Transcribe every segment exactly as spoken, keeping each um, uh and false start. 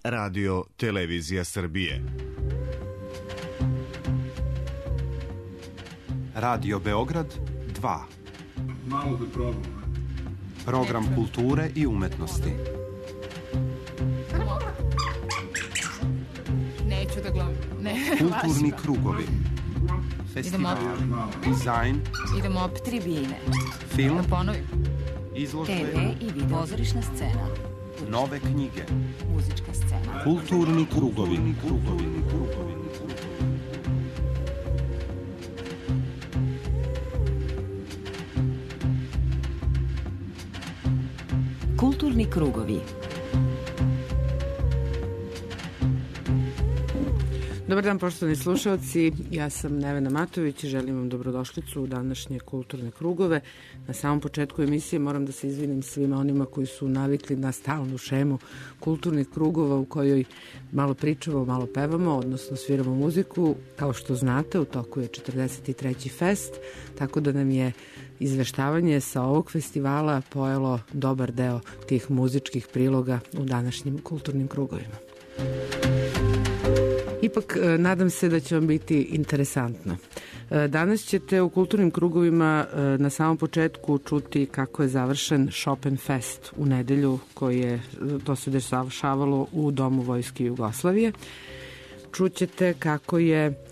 Radio Televizija Srbije. Radio Beograd dva. Malo da probam. Program kulture i umetnosti. Neću da gledam. Ne, Kulturni krugovi. Festival, dizajn. Idemo op tribine. Film. Da ponovim. Izložbe. te ve i video. Pozorišna scena. Nove knjige. Muzička scena. Kulturni krugovi. Krugovi. Krugovi. Kulturni krugovi. Dobar dan, poštovani slušalci, ja sam Nevena Matović i želim vam dobrodošlicu u današnje kulturne krugove. Na samom početku emisije moram da se izvinim svima onima koji su navikli na stalnu šemu kulturnih krugova u kojoj malo pričamo, malo pevamo, odnosno sviramo muziku. Kao što znate, u toku je četrdeset treći fest, tako da nam je izveštavanje sa ovog festivala pojelo dobar deo tih muzičkih priloga u današnjim kulturnim krugovima. Ipak, nadam se da će vam biti interesantno. Danas ćete u kulturnim krugovima na samom početku čuti kako je završen Chopin Fest u nedelju, koji je, to se dešavalo u Domu Vojske Jugoslavije. Čućete kako je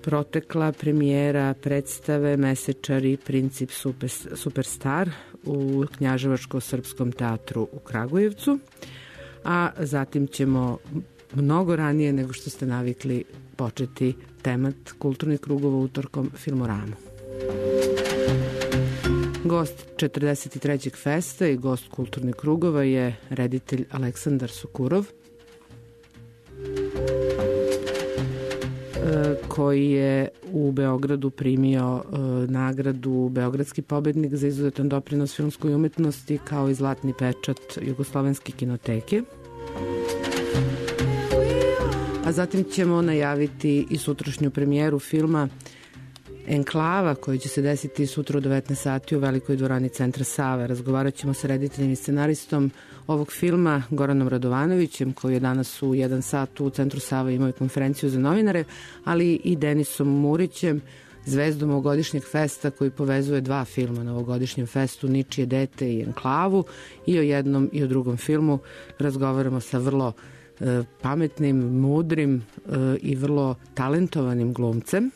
protekla premijera predstave Mesečari Princip super, Superstar u Knjaževačko-srpskom teatru u Kragujevcu, a zatim ćemo mnogo ranije nego što ste navikli početi temat kulturnih krugova utorkom Filmoramu. Gost četrdeset trećeg festa i gost kulturnih krugova je reditelj Aleksandar Sukurov, koji je u Beogradu primio nagradu Beogradski pobednik za izuzetan doprinos filmskoj umetnosti kao i zlatni pečat Jugoslovenske kinoteke. A zatim ćemo najaviti i sutrašnju premijeru filma Enklava, koji će se desiti sutra u devetnaest sati u Velikoj dvorani Centra Save. Razgovarat ćemo sa rediteljem i scenaristom ovog filma Goranom Radovanovićem, koji je danas u jedan sat u Centru Save imao konferenciju za novinare, ali i Denisom Murićem, zvezdom ovogodišnjeg festa koji povezuje dva filma na ovogodišnjem festu, Ničije dete i Enklavu, i o jednom i o drugom filmu razgovaramo sa vrlo pametnim, mudrim i vrlo talentovanim glumcem.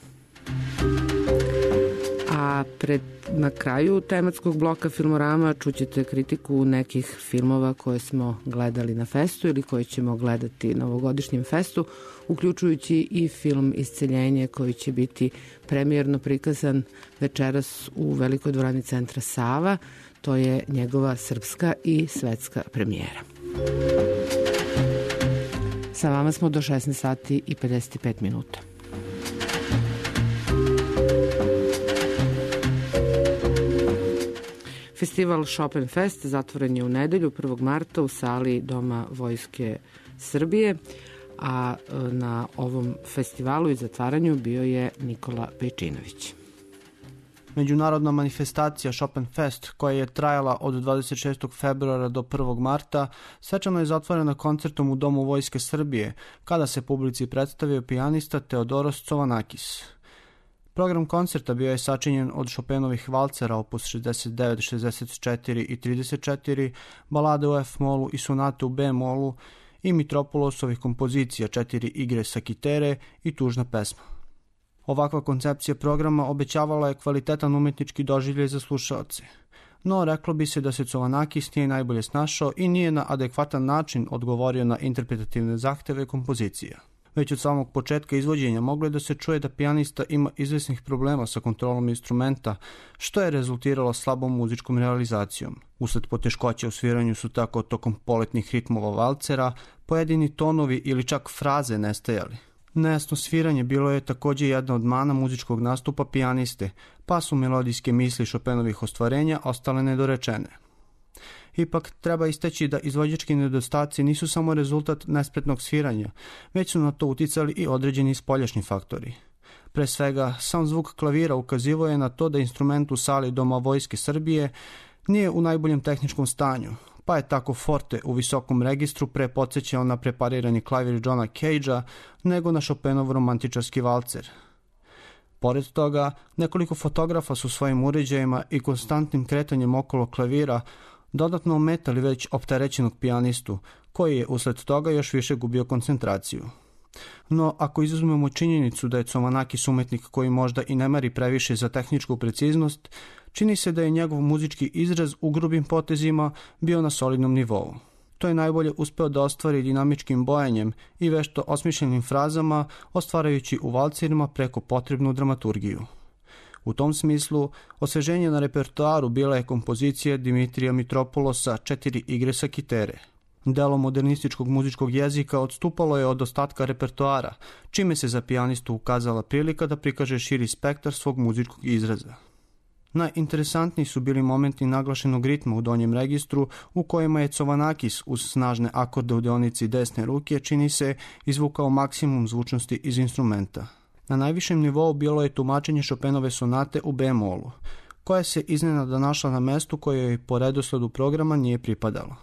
A pred, na kraju tematskog bloka Filmorama čućete kritiku nekih filmova koje smo gledali na festu ili koje ćemo gledati na ovogodišnjem festu, uključujući i film Isceljenje, koji će biti premijerno prikazan večeras u Velikoj dvorani Centra Sava. To je njegova srpska i svetska premijera. Sa vama smo do šesnaest sati i pedeset pet minuta. Festival Chopin Fest zatvoren je u nedelju prvog marta u sali Doma Vojske Srbije, a na ovom festivalu i zatvaranju bio je Nikola Pejčinović. Međunarodna manifestacija Chopin Fest, koja je trajala od dvadeset šestog februara do prvog marta, svečano je zatvorena koncertom u Domu Vojske Srbije, kada se publici predstavio pijanista Teodoros Covanakis. Program koncerta bio je sačinjen od Chopinovih valcera opus šezdeset devet, šezdeset četiri i trideset četiri, balade u F-molu i sonate u B-molu i Mitropolosovih kompozicija, četiri igre sa kitere i tužna pesma. Ovakva koncepcija programa obećavala je kvalitetan umetnički doživljaj za slušaoce. No, reklo bi se da se Covanakis nije najbolje snašao i nije na adekvatan način odgovorio na interpretativne zahteve kompozicija. Već od samog početka izvođenja moglo je da se čuje da pijanista ima izvesnih problema sa kontrolom instrumenta, što je rezultiralo slabom muzičkom realizacijom. Usled poteškoća u sviranju su tako tokom poletnih ritmova valcera pojedini tonovi ili čak fraze nestajali. Nejasno sviranje bilo je također jedna od mana muzičkog nastupa pijaniste, pa su melodijske misli Chopinovih ostvarenja ostale nedorečene. Ipak treba istaći da izvođački nedostaci nisu samo rezultat nespretnog sviranja, već su na to uticali i određeni spoljašnji faktori. Pre svega, sam zvuk klavira ukazivao je na to da instrument u sali Doma Vojske Srbije nije u najboljem tehničkom stanju, pa je tako forte u visokom registru pre podsjećao na preparirani klavir Johna Cagea nego na Chopinov romantičarski valcer. Pored toga, nekoliko fotografa su svojim uređajima i konstantnim kretanjem okolo klavira dodatno ometali već opterećenog pijanistu, koji je usled toga još više gubio koncentraciju. No, ako izuzmemo činjenicu da je Covanakis umetnik koji možda i ne mari previše za tehničku preciznost, čini se da je njegov muzički izraz u grubim potezima bio na solidnom nivou. To je najbolje uspeo da ostvari dinamičkim bojanjem i vešto osmišljenim frazama, ostvarajući u valcirima preko potrebnu dramaturgiju. U tom smislu, osveženje na repertoaru bila je kompozicija Dimitrija Mitropulosa Četiri igre sa kitere. Delo modernističkog muzičkog jezika odstupalo je od ostatka repertoara, čime se za pijanistu ukazala prilika da prikaže širi spektar svog muzičkog izraza. Najinteresantniji su bili momenti naglašenog ritma u donjem registru, u kojima je Covanakis uz snažne akorde u deonici desne ruke, čini se, izvukao maksimum zvučnosti iz instrumenta. Na najvišem nivou bilo je tumačenje Chopinove sonate u bemolu, koja se iznenada našla na mestu koje joj po redosledu programa nije pripadalo.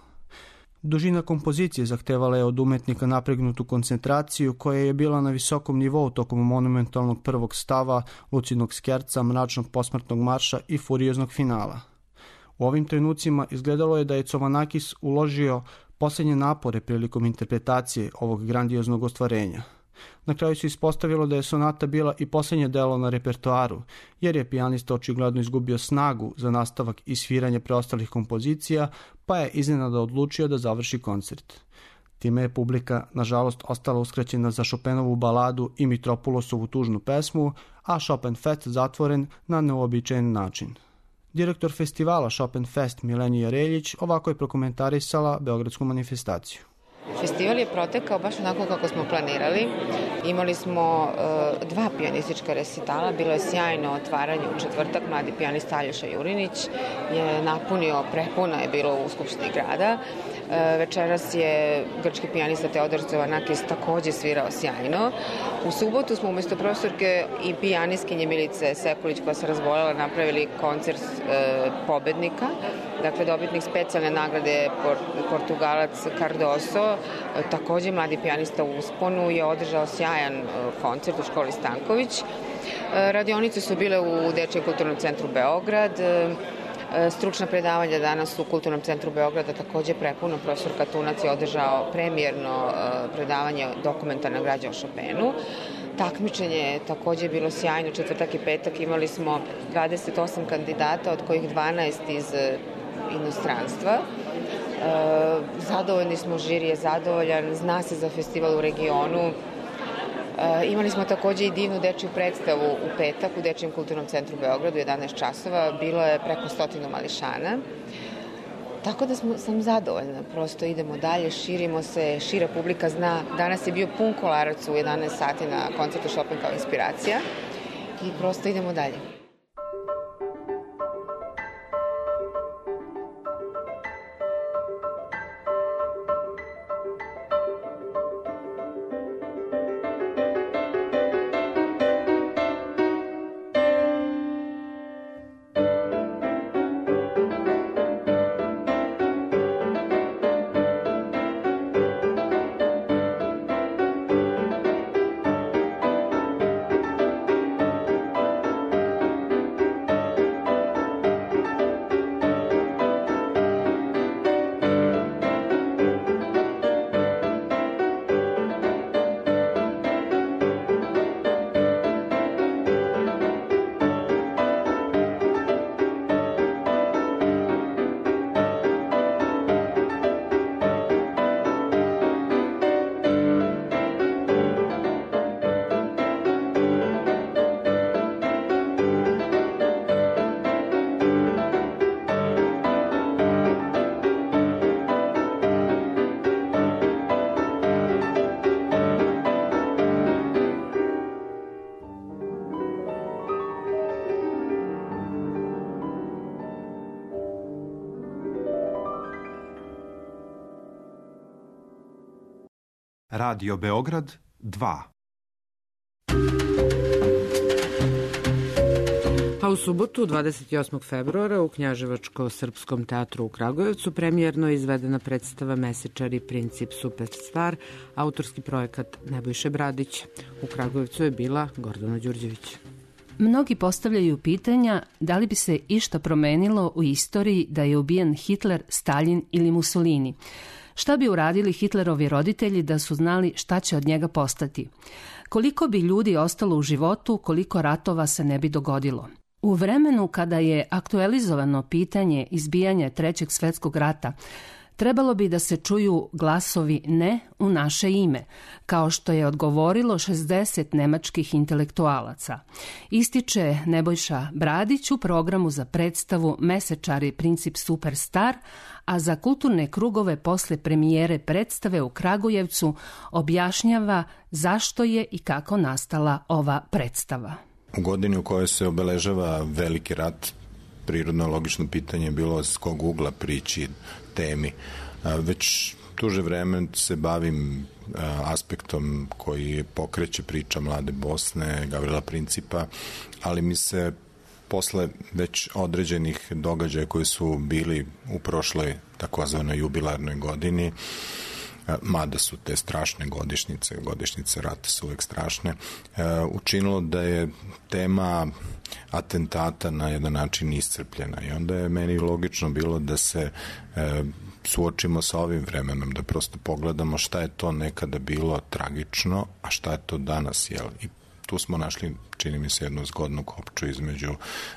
Dužina kompozicije zahtevala je od umetnika napregnutu koncentraciju koja je bila na visokom nivou tokom monumentalnog prvog stava, lucidnog skerca, mračnog posmrtnog marša i furioznog finala. U ovim trenucima izgledalo je da je Covanakis uložio posljednje napore prilikom interpretacije ovog grandioznog ostvarenja. Na kraju se ispostavilo da je sonata bila i posljednje delo na repertoaru, jer je pijanista očigledno izgubio snagu za nastavak i sviranje preostalih kompozicija, pa je iznenada odlučio da završi koncert. Time je publika, nažalost, ostala uskraćena za Chopinovu baladu i Mitropulosovu tužnu pesmu, a Chopin Fest zatvoren na neuobičajen način. Direktor festivala Chopin Fest Milenija Reljić ovako je prokomentarisala beogradsku manifestaciju. Festival je protekao baš onako kako smo planirali. Imali smo uh, dva pijanistička resitala, bilo je sjajno otvaranje u četvrtak, mladi pijanista Aljoša Jurinić je napunio, prepuno je bilo u Skupštini grada. Uh, večeras je grčki pijanista Teodor Covanakis takođe svirao sjajno. U subotu smo umjesto profesorke i pijanistkinje Milice Sekulić koja se razboljela napravili koncert uh, pobednika, dakle dobitnik specijalne nagrade Portugalac Cardoso, takođe mladi pijanista u usponu, je održao sjajan koncert u školi Stanković. Radionice su bile u Dečijem kulturnom centru Beograd. Stručna predavanja danas u Kulturnom centru Beograda takođe prepuno. Profesor Katunac je održao premijerno predavanje dokumentarna građa o Chopinu. Takmičenje je takođe bilo sjajno. Četvrtak i petak imali smo dvadeset osam kandidata, od kojih dvanaest iz inostranstva. E, zadovoljni smo, žiri je zadovoljan, zna se za festival u regionu. E, imali smo takođe i divnu dečju predstavu u petak u Dečijem kulturnom centru Beogradu, jedanaest časova, bilo je preko stotinu mališana. Tako da smo, sam zadovoljna, prosto idemo dalje, širimo se, šira publika zna. Danas je bio pun Kolarac u jedanaest sati na koncertu Chopin kao inspiracija i prosto idemo dalje. Radio Beograd dva. A u subotu, dvadeset osmog februara, u Knjaževačko-srpskom teatru u Kragujevcu premijerno je izvedena predstava Mesečari princip superstar, autorski projekat Nebojše Bradića. U Kragujevcu je bila Gordana Đurđević. Mnogi postavljaju pitanja da li bi se išta promenilo u istoriji da je ubijen Hitler, Stalin ili Mussolini. Šta bi uradili Hitlerovi roditelji da su znali šta će od njega postati? Koliko bi ljudi ostalo u životu, koliko ratova se ne bi dogodilo? U vremenu kada je aktualizovano pitanje izbijanja Trećeg svetskog rata, trebalo bi da se čuju glasovi ne u naše ime, kao što je odgovorilo šezdeset nemačkih intelektualaca. Ističe Nebojša Bradić u programu za predstavu Mesečari princip superstar, a za kulturne krugove posle premijere predstave u Kragujevcu objašnjava zašto je i kako nastala ova predstava. U godini u kojoj se obeležava veliki rat, prirodno logično pitanje je bilo s kog ugla prići temi. Već duže vreme se bavim aspektom koji pokreće priča Mlade Bosne, Gavrila Principa, ali mi se posle već određenih događaja koji su bili u prošloj takozvanoj jubilarnoj godini, mada su te strašne godišnjice, godišnjice rata su uvek strašne, učinilo da je tema atentata na jedan način iscrpljena i onda je meni logično bilo da se suočimo sa ovim vremenom, da prosto pogledamo šta je to nekada bilo tragično, a šta je to danas, jel? I tu smo našli, čini mi se, jednu zgodnu kopču između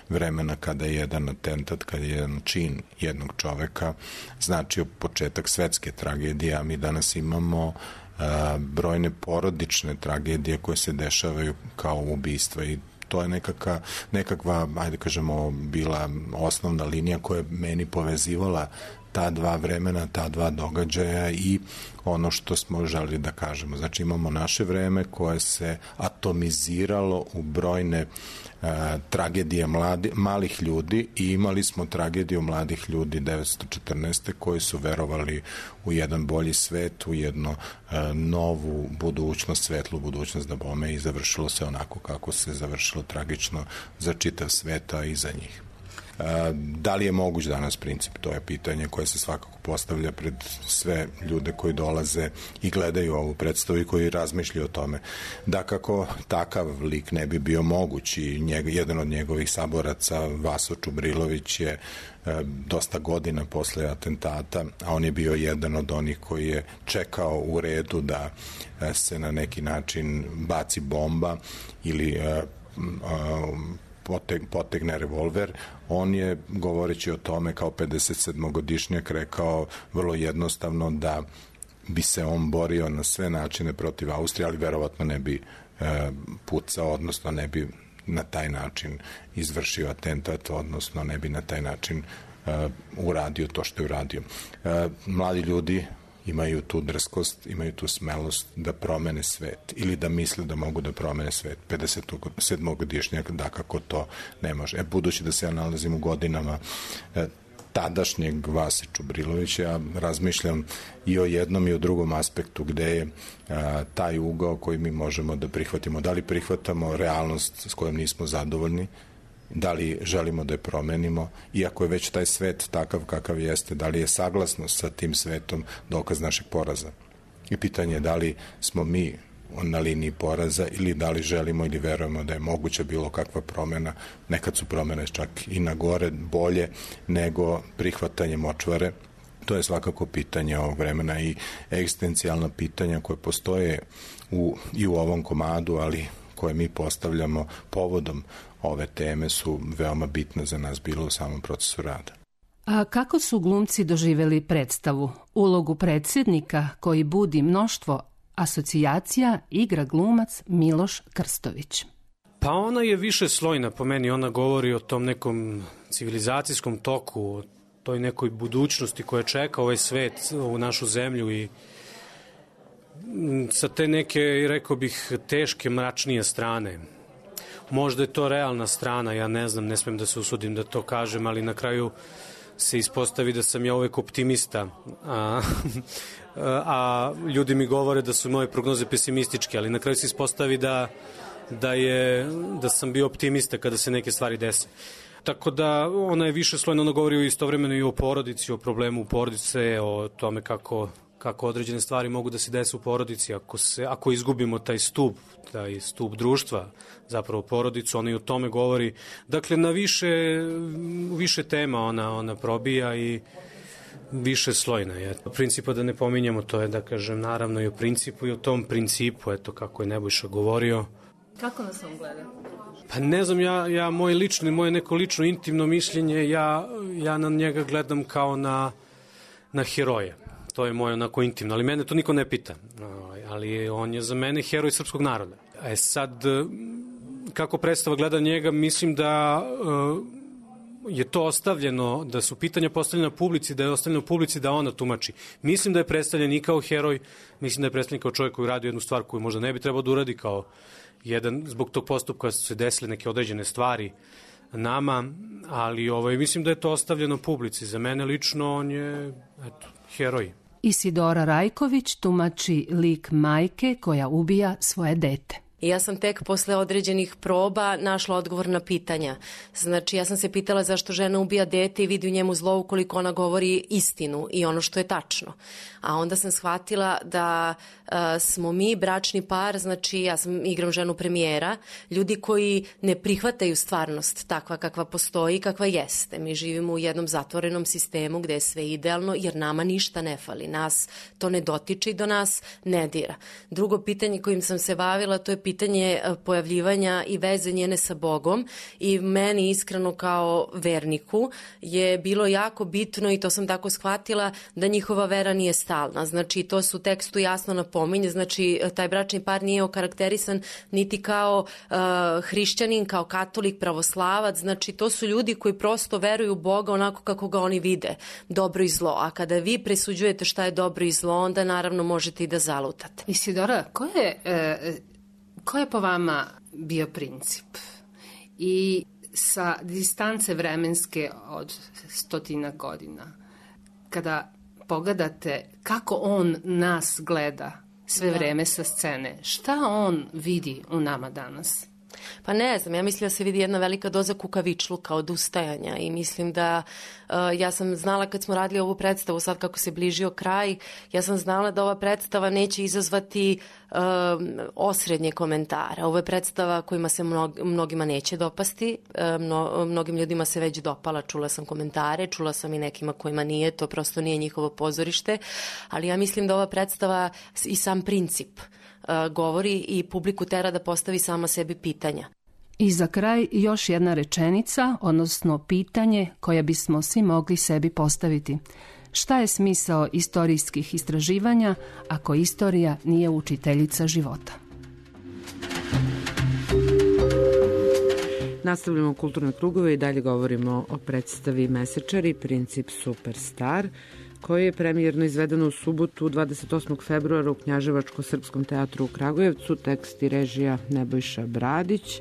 vremena kada je jedan atentat, kada je jedan čin jednog čoveka značio početak svetske tragedije, a mi danas imamo a, brojne porodične tragedije koje se dešavaju kao ubistva i to je nekakva, nekakva, ajde kažemo, bila osnovna linija koja je meni povezivala ta dva vremena, ta dva događaja i ono što smo želeli da kažemo. Znači imamo naše vreme koje se atomiziralo u brojne uh, tragedije mladi, malih ljudi i imali smo tragediju mladih ljudi devetsto četrnaeste koji su verovali u jedan bolji svet, u jednu uh, novu budućnost, svetlu budućnost da bome i završilo se onako kako se završilo tragično za čitav sveta i za njih. Da li je moguć danas princip? To je pitanje koje se svakako postavlja pred sve ljude koji dolaze i gledaju ovu predstavu i koji razmišljaju o tome. Da kako takav lik ne bi bio moguć i njeg, jedan od njegovih saboraca, Vaso Čubrilović, je dosta godina posle atentata, a on je bio jedan od onih koji je čekao u redu da se na neki način baci bomba ili potegne revolver. On je, govoreći o tome kao pedesetsedmogodišnjak, rekao vrlo jednostavno da bi se on borio na sve načine protiv Austrije, ali verovatno ne bi e, pucao, odnosno ne bi na taj način izvršio atentat, odnosno ne bi na taj način e, uradio to što je uradio. E, mladi ljudi imaju tu drskost, imaju tu smelost da promene svet ili da misle da mogu da promene svet. pedesetsedmogodišnjak da kako to ne može. E, budući da se ja nalazim u godinama e, tadašnjeg Vase Čubrilovića, ja razmišljam i o jednom i o drugom aspektu gde je a, taj ugao koji mi možemo da prihvatimo. Da li prihvatamo realnost s kojom nismo zadovoljni, da li želimo da je promenimo, iako je već taj svet takav kakav jeste, da li je saglasnost sa tim svetom dokaz našeg poraza. I pitanje je da li smo mi na liniji poraza ili da li želimo ili verujemo da je moguća bilo kakva promena. Nekad su promene čak i na gore bolje nego prihvatanje močvare. To je svakako pitanje ovog vremena i egzistencijalna pitanja koje postoje u, i u ovom komadu, ali koje mi postavljamo povodom ove teme su veoma bitne za nas bilo u samom procesu rada. A kako su glumci doživeli predstavu? Ulogu predsjednika koji budi mnoštvo asocijacija igra glumac Miloš Krstović. Pa ona je više slojna po meni, ona govori o tom nekom civilizacijskom toku, o toj nekoj budućnosti koja čeka ovaj svet, u našu zemlju i sa te neke, rekao bih, teške, mračnije strane. Možda je to realna strana, ja ne znam, ne smem da se usudim da to kažem, ali na kraju se ispostavi da sam ja uvek optimista, a, a ljudi mi govore da su moje prognoze pesimističke, ali na kraju se ispostavi da da, je, da sam bio optimista kada se neke stvari dese. Tako da ona je više slojno, ona govori istovremeno i o porodici, o problemu porodice, o tome kako, kako određene stvari mogu da se dese u porodici. Ako, se, ako izgubimo taj stup, taj stup društva, zapravo porodicu, ona i o tome govori. Dakle, na više, više tema ona, ona probija i više slojna je. Principa da ne pominjamo, to je da kažem naravno i o principu i o tom principu, eto kako je Nebojša govorio. Kako nas on gleda? Pa ne znam, ja, ja moje lično, moje neko lično intimno mišljenje, ja, ja na njega gledam kao na, na heroje. To je moje onako intimno, ali mene to niko ne pita. Ali on je za mene heroj srpskog naroda. E sad, kako predstava gleda njega, mislim da je to ostavljeno, da su pitanja postavljena publici, da je ostavljeno publici da ona tumači. Mislim da je predstavljen i kao heroj, mislim da je predstavljen kao čovjek koji radi jednu stvar koju možda ne bi trebao da uradi, kao jedan, zbog tog postupka su se desile neke određene stvari nama, ali ovaj, mislim da je to ostavljeno publici. Za mene lično on je, eto, heroj. Isidora Rajković tumači lik majke koja ubija svoje dete. I ja sam tek posle određenih proba našla odgovor na pitanja. Znači, ja sam se pitala zašto žena ubija dete i vidi u njemu zlo ukoliko ona govori istinu i ono što je tačno. A onda sam shvatila da uh, smo mi bračni par, znači ja sam igram ženu premijera, ljudi koji ne prihvataju stvarnost takva kakva postoji, kakva jeste. Mi živimo u jednom zatvorenom sistemu gde je sve idealno jer nama ništa ne fali. Nas to ne dotiče i do nas ne dira. Drugo pitanje kojim sam se bavila, to je pitanje pitanje pojavljivanja i veze njene sa Bogom i meni iskreno kao verniku je bilo jako bitno i to sam tako shvatila da njihova vera nije stalna. Znači to su u tekstu jasno napominje, znači taj bračni par nije okarakterisan niti kao uh, hrišćanin, kao katolik, pravoslavac, znači to su ljudi koji prosto veruju u Boga onako kako ga oni vide, dobro i zlo. A kada vi presuđujete šta je dobro i zlo, onda naravno možete i da zalutate. Isidora, ko je... Uh, Ko je po vama bio princip? I sa distance vremenske od stotina godina, kada pogledate kako on nas gleda sve da. vreme sa scene, šta on vidi u nama danas? Pa ne znam, ja mislim da se vidi jedna velika doza kukavičluka, odustajanja i mislim da uh, ja sam znala kad smo radili ovu predstavu, sad kako se bližio kraj, ja sam znala da ova predstava neće izazvati uh, osrednje komentare. Ovo je predstava kojima se mnog, mnogima neće dopasti, uh, mno, mnogim ljudima se već dopala, čula sam komentare, čula sam i nekima kojima nije, to prosto nije njihovo pozorište, ali ja mislim da ova predstava i sam princip govori i publiku tera da postavi sama sebi pitanja. I za kraj još jedna rečenica, odnosno pitanje koje bismo svi mogli sebi postaviti. Šta je smisao istorijskih istraživanja ako istorija nije učiteljica života? Nastavljamo kulturne krugove i dalje govorimo o predstavi Mesečari, princip Superstar, koji je premijerno izvedeno u subotu dvadeset osmog februara u Knjaževačko-srpskom teatru u Kragujevcu, tekst i režija Nebojša Bradić.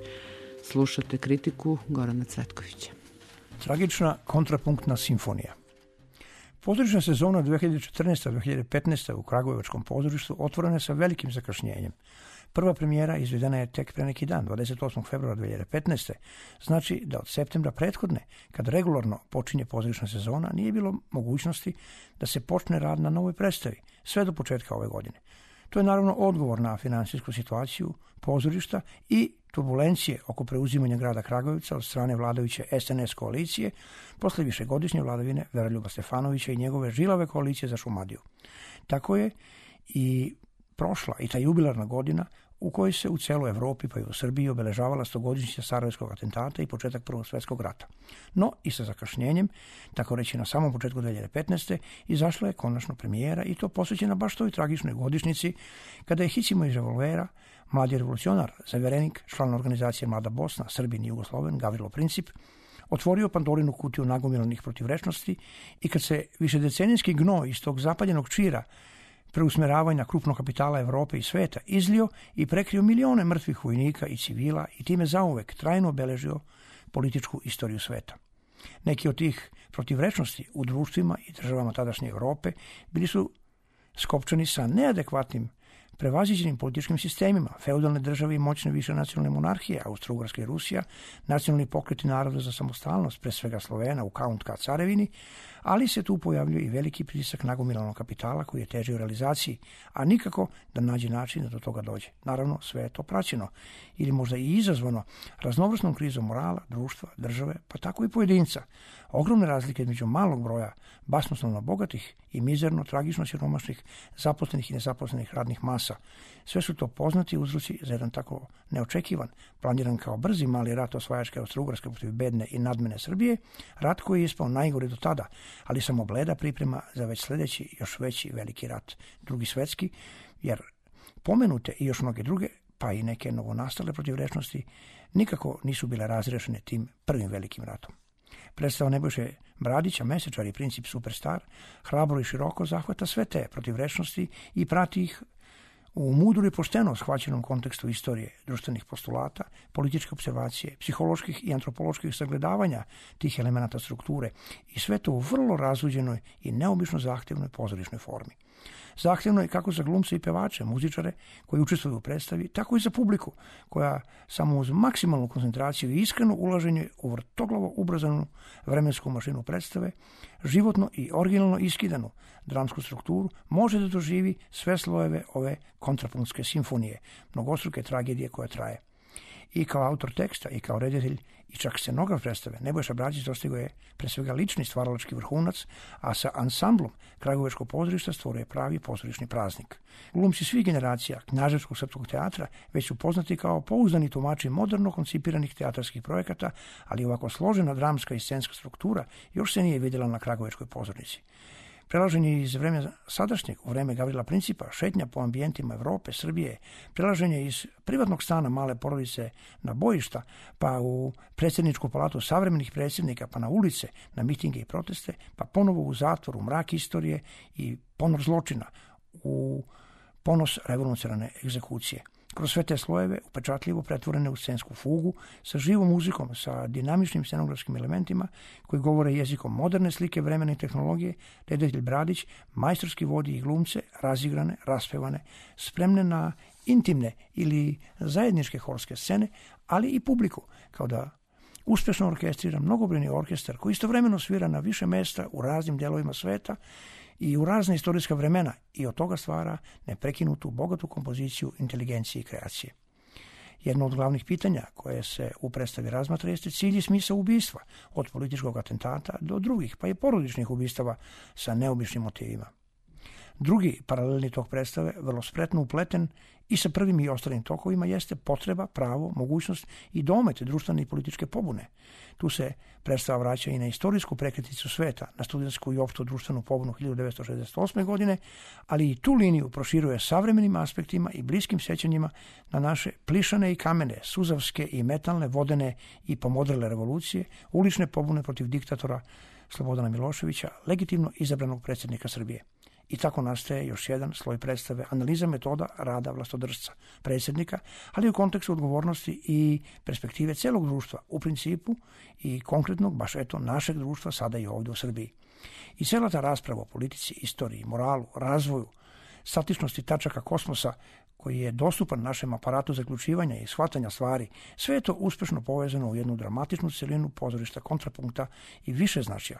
Slušate kritiku Gorana Cvetkovića. Tragična kontrapunktna simfonija. Pozorišna sezona dve hiljade četrnaeste dve hiljade petnaeste u Kragujevačkom pozorištu otvorena je sa velikim zakašnjenjem. Prva premijera izvedena je tek pre neki dan, dvadeset osmog februara dve hiljade petnaeste. Znači da od septembra prethodne, kad regularno počinje pozorišna sezona, nije bilo mogućnosti da se počne rad na novoj predstavi, sve do početka ove godine. To je naravno odgovor na finansijsku situaciju pozorišta i turbulencije oko preuzimanja grada Kragujevca od strane vladajuće S N S koalicije posle višegodišnje vladavine Veroljuba Stefanovića i njegove žilave koalicije za Šumadiju. Tako je i prošla i ta jubilarna godina u kojoj se u celoj Evropi pa i u Srbiji obeležavala stogodišnjica Sarajevskog atentata i početak Prvog svjetskog rata. No i sa zakašnjenjem, tako reći na samom početku dve hiljade petnaeste. izašla je konačno premijera i to posvećena baš toj tragičnoj godišnjici kada je hicimo iz revolvera mladi revolucionar, zaverenik, član organizacije Mlada Bosna, Srbin i Jugosloven, Gavrilo Princip, otvorio Pandorinu kutiju nagomilanih protivrečnosti i kad se višedecenijski gnoj iz tog zapaljenog čira preusmeravanja krupnog kapitala Evrope i sveta izlio i prekrio milione mrtvih vojnika i civila i time zauvek trajno obeležio političku istoriju sveta. Neki od tih protivrečnosti u društvima i državama tadašnje Evrope bili su skopčani sa neadekvatnim prevaziđenim političkim sistemima, feudalne države i moćne više nacionalne monarhije, Austro-Ugarska i Rusija, nacionalni pokreti naroda za samostalnost, pre svega Slovena u K U N K carevini, ali se tu pojavljuje i veliki pritisak nagomilanog kapitala koji je teži u realizaciji, a nikako da nađe način da do toga dođe. Naravno, sve je to praćeno ili možda i izazvano raznovrsnom krizom morala, društva, države, pa tako i pojedinca. Ogromne razlike između malog broja basnoslovno bogatih i mizerno, tragično siromašnih, zaposlenih i nezaposlenih radnih masa. Sve su to poznati uzroci za jedan tako neočekivan, planiran kao brzi mali rat osvajačke Austro-Ugarske protiv bedne i nadmene Srbije, rat koji je ispao najgori do tada, ali samo bleda priprema za već sledeći, još veći veliki rat, drugi svetski, jer pomenute i još mnoge druge, pa i neke novonastale protivrečnosti, nikako nisu bile razrešene tim prvim velikim ratom. Predstava Nebojše Bradića, Mesečar i princip Superstar, hrabro i široko zahvata sve te protivrečnosti i prati ih u mudru i pošteno shvaćenom kontekstu istorije, društvenih postulata, političke observacije, psiholoških i antropoloških sagledavanja tih elemenata strukture i sve to u vrlo razluđenoj i neobično zahtevnoj pozorišnoj formi. Zahtevno je kako za glumce i pevače, muzičare koji učestvuju u predstavi, tako i za publiku koja samo uz maksimalnu koncentraciju i iskreno ulaženje u vrtoglavo ubrzanu vremensku mašinu predstave, životno i originalno iskidanu dramsku strukturu, može da doživi sve slojeve ove kontrapunktske simfonije, mnogostruke tragedije koja traje. I kao autor teksta, i kao reditelj, i čak scenograf predstave, Nebojša Bradić dostigao je pre svega lični stvaralački vrhunac, a sa ansamblom Kragujevačkog pozorišta stvorio je pravi pozorišni praznik. Glumci svih generacija Knjaževskog srpskog teatra već su poznati kao pouzdani tumači moderno koncipiranih teatarskih projekata, ali ovako složena dramska i scenska struktura još se nije vidjela na Kragujevačkoj pozornici. Prelaženje iz vremena sadašnjeg u vreme Gavrila Principa, šetnja po ambijentima Evrope, Srbije, prelaženje iz privatnog stana male porodice na bojišta, pa u predsjedničku palatu savremenih predsjednika, pa na ulice, na mitinge i proteste, pa ponovo u zatvor, u mrak istorije i ponor zločina, u ponos revolucionarne egzekucije. Kroz sve te slojeve, upečatljivo pretvorene u scensku fugu, sa živom muzikom, sa dinamičnim scenografskim elementima koji govore jezikom moderne slike vremena i tehnologije, reditelj Bradić majstorski vodi i glumce, razigrane, raspevane, spremne na intimne ili zajedničke horske scene, ali i publiku, kao da uspešno orkestrira mnogobrojni orkestar koji istovremeno svira na više mesta u raznim delovima sveta i u razne istorijska vremena i od toga stvara neprekinutu, bogatu kompoziciju inteligencije i kreacije. Jedno od glavnih pitanja koje se u predstavi razmatra jeste cilj i smisao ubistva, od političkog atentata do drugih, pa i porodičnih ubistava sa neobičnim motivima. Drugi paralelni tok predstave, vrlo spretno upleten i sa prvim i ostalim tokovima, jeste potreba, pravo, mogućnost i domet društvene i političke pobune. Tu se predstava vraća i na istorijsku prekretnicu sveta, na studentsku i opštu društvenu pobunu hiljadu devetsto šezdeset osme. godine, ali i tu liniju proširuje savremenim aspektima i bliskim sećanjima na naše plišane i kamene, suzavske i metalne, vodene i pomodrele revolucije, ulične pobune protiv diktatora Slobodana Miloševića, legitimno izabranog predsjednika Srbije. I tako nastaje još jedan sloj predstave, analiza metoda rada vlastodržca, predsjednika, ali u kontekstu odgovornosti i perspektive celog društva, u principu i konkretnog, baš eto, našeg društva sada i ovdje u Srbiji. I cela ta rasprava o politici, istoriji, moralu, razvoju, statičnosti tačaka kosmosa, koji je dostupan našem aparatu zaključivanja i shvatanja stvari, sve je to uspešno povezano u jednu dramatičnu celinu pozorišta kontrapunkta i više značaja.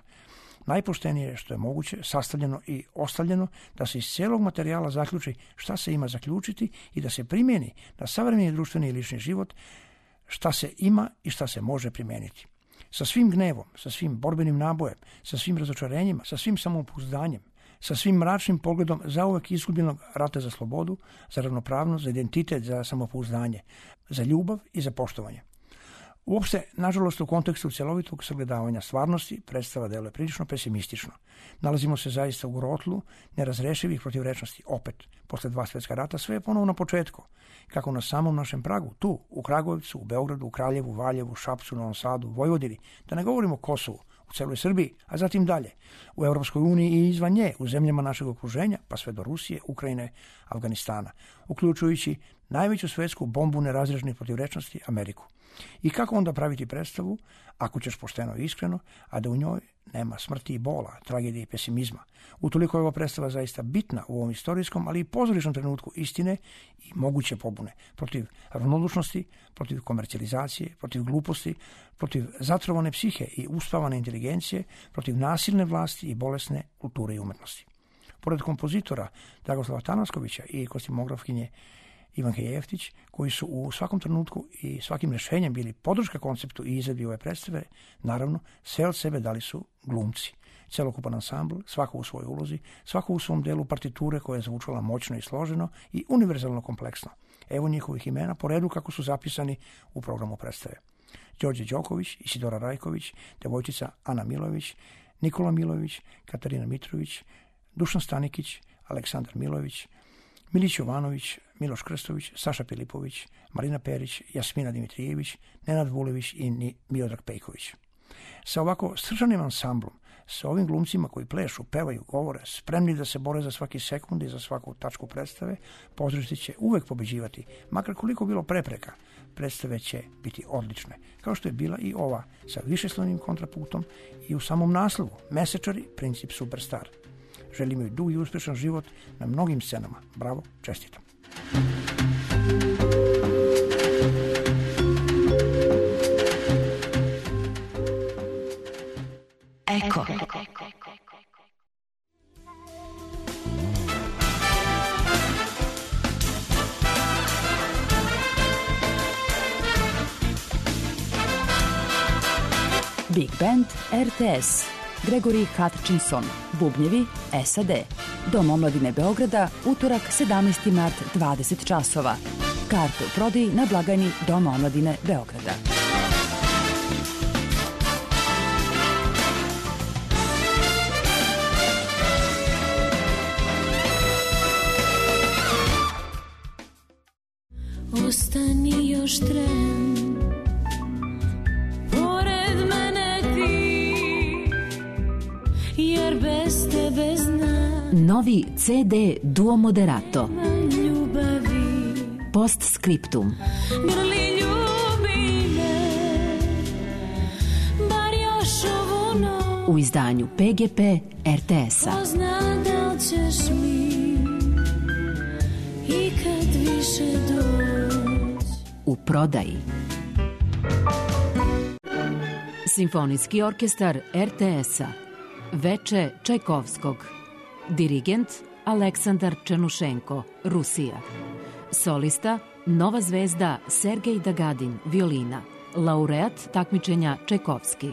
Najpoštenije što je moguće sastavljeno i ostavljeno da se iz cijelog materijala zaključi šta se ima zaključiti i da se primjeni na savremeni društveni i lični život šta se ima i šta se može primijeniti. Sa svim gnevom, sa svim borbenim nabojem, sa svim razočarenjima, sa svim samopouzdanjem, sa svim mračnim pogledom zauvek izgubljenog rata za slobodu, za ravnopravnost, za identitet, za samopouzdanje, za ljubav i za poštovanje. Uopšte, nažalost, u kontekstu cjelovitog sagledavanja stvarnosti, predstava deluje prilično pesimistično. Nalazimo se zaista u grotlu nerazrešivih protivrečnosti. Opet, posle dva svjetska rata, sve je ponovo na početku. Kako na samom našem pragu, tu, u Kragujevcu, u Beogradu, u Kraljevu, Valjevu, Šapcu, Novom Sadu, Vojvodini, da ne govorimo o Kosovu, u celoj Srbiji, a zatim dalje, u Europskoj uniji i izvan nje, u zemljama našeg okruženja, pa sve do Rusije, Ukrajine, Afganistana, uključujući najveću svetsku bombu nerazrežnih protivrečnosti, Ameriku. I kako onda praviti predstavu, ako ćeš pošteno i iskreno, a da u njoj nema smrti i bola, tragedije i pesimizma. Utoliko je ova predstava zaista bitna u ovom istorijskom, ali i pozorišnom trenutku istine i moguće pobune protiv ravnodušnosti, protiv komercijalizacije, protiv gluposti, protiv zatrovane psihe i uspavane inteligencije, protiv nasilne vlasti i bolesne kulture i umetnosti. Pored kompozitora Dragoslava Tanaskovića i kostimografkinje Ivanke Jeftić, koji su u svakom trenutku i svakim rešenjem bili podrška konceptu i izvedbi ove predstave, naravno, sve od sebe dali su glumci. Celokupan ansambl, svako u svojoj ulozi, svako u svom delu partiture koja je zvučala moćno i složeno i univerzalno kompleksno. Evo njihovih imena po redu kako su zapisani u programu predstave. Đorđe Đoković, Isidora Rajković, devojčica Ana Milović, Nikola Milović, Katarina Mitrović, Dušan Stanikić, Aleksandar Milović, Milić Jovanović, Miloš Krstović, Saša Pilipović, Marina Perić, Jasmina Dimitrijević, Nenad Vulević i Miodrag Pejković. Sa ovako sržanim ansamblom, sa ovim glumcima koji plešu, pevaju, govore, spremni da se bore za svaki sekund i za svaku tačku predstave, pozorište će uvek pobeđivati, makar koliko bilo prepreka, predstave će biti odlične, kao što je bila i ova sa višeslovnim kontrapunktom i u samom naslovu Mesečari, princip superstar. Želim joj dug i uspešan život na mnogim scenama. Bravo, čestitam. Eko. Big Band R T S. Gregory Hutchinson, bubnjevi S A D. Dom omladine Beograda, utorak sedamnaesti mart, dvadeset časova. Karte u prodaji na blagajni Doma omladine Beograda. Ostani još tren, pored mene ti, jer bez tebe znam. Novi C D Duo Moderato. Ljubavi. Postscriptum. Grli ljubi me, bar još ovu noć. U izdanju P G P R T S-a. Ko zna da li ćeš mi ikad više doći. U prodaji. Simfonijski orkestar R T S-a. Veče Čajkovskog. Dirigent Aleksandar Černušenko, Rusija. Solista Nova zvezda Sergej Dagadin, violina. Laureat takmičenja Čajkovski.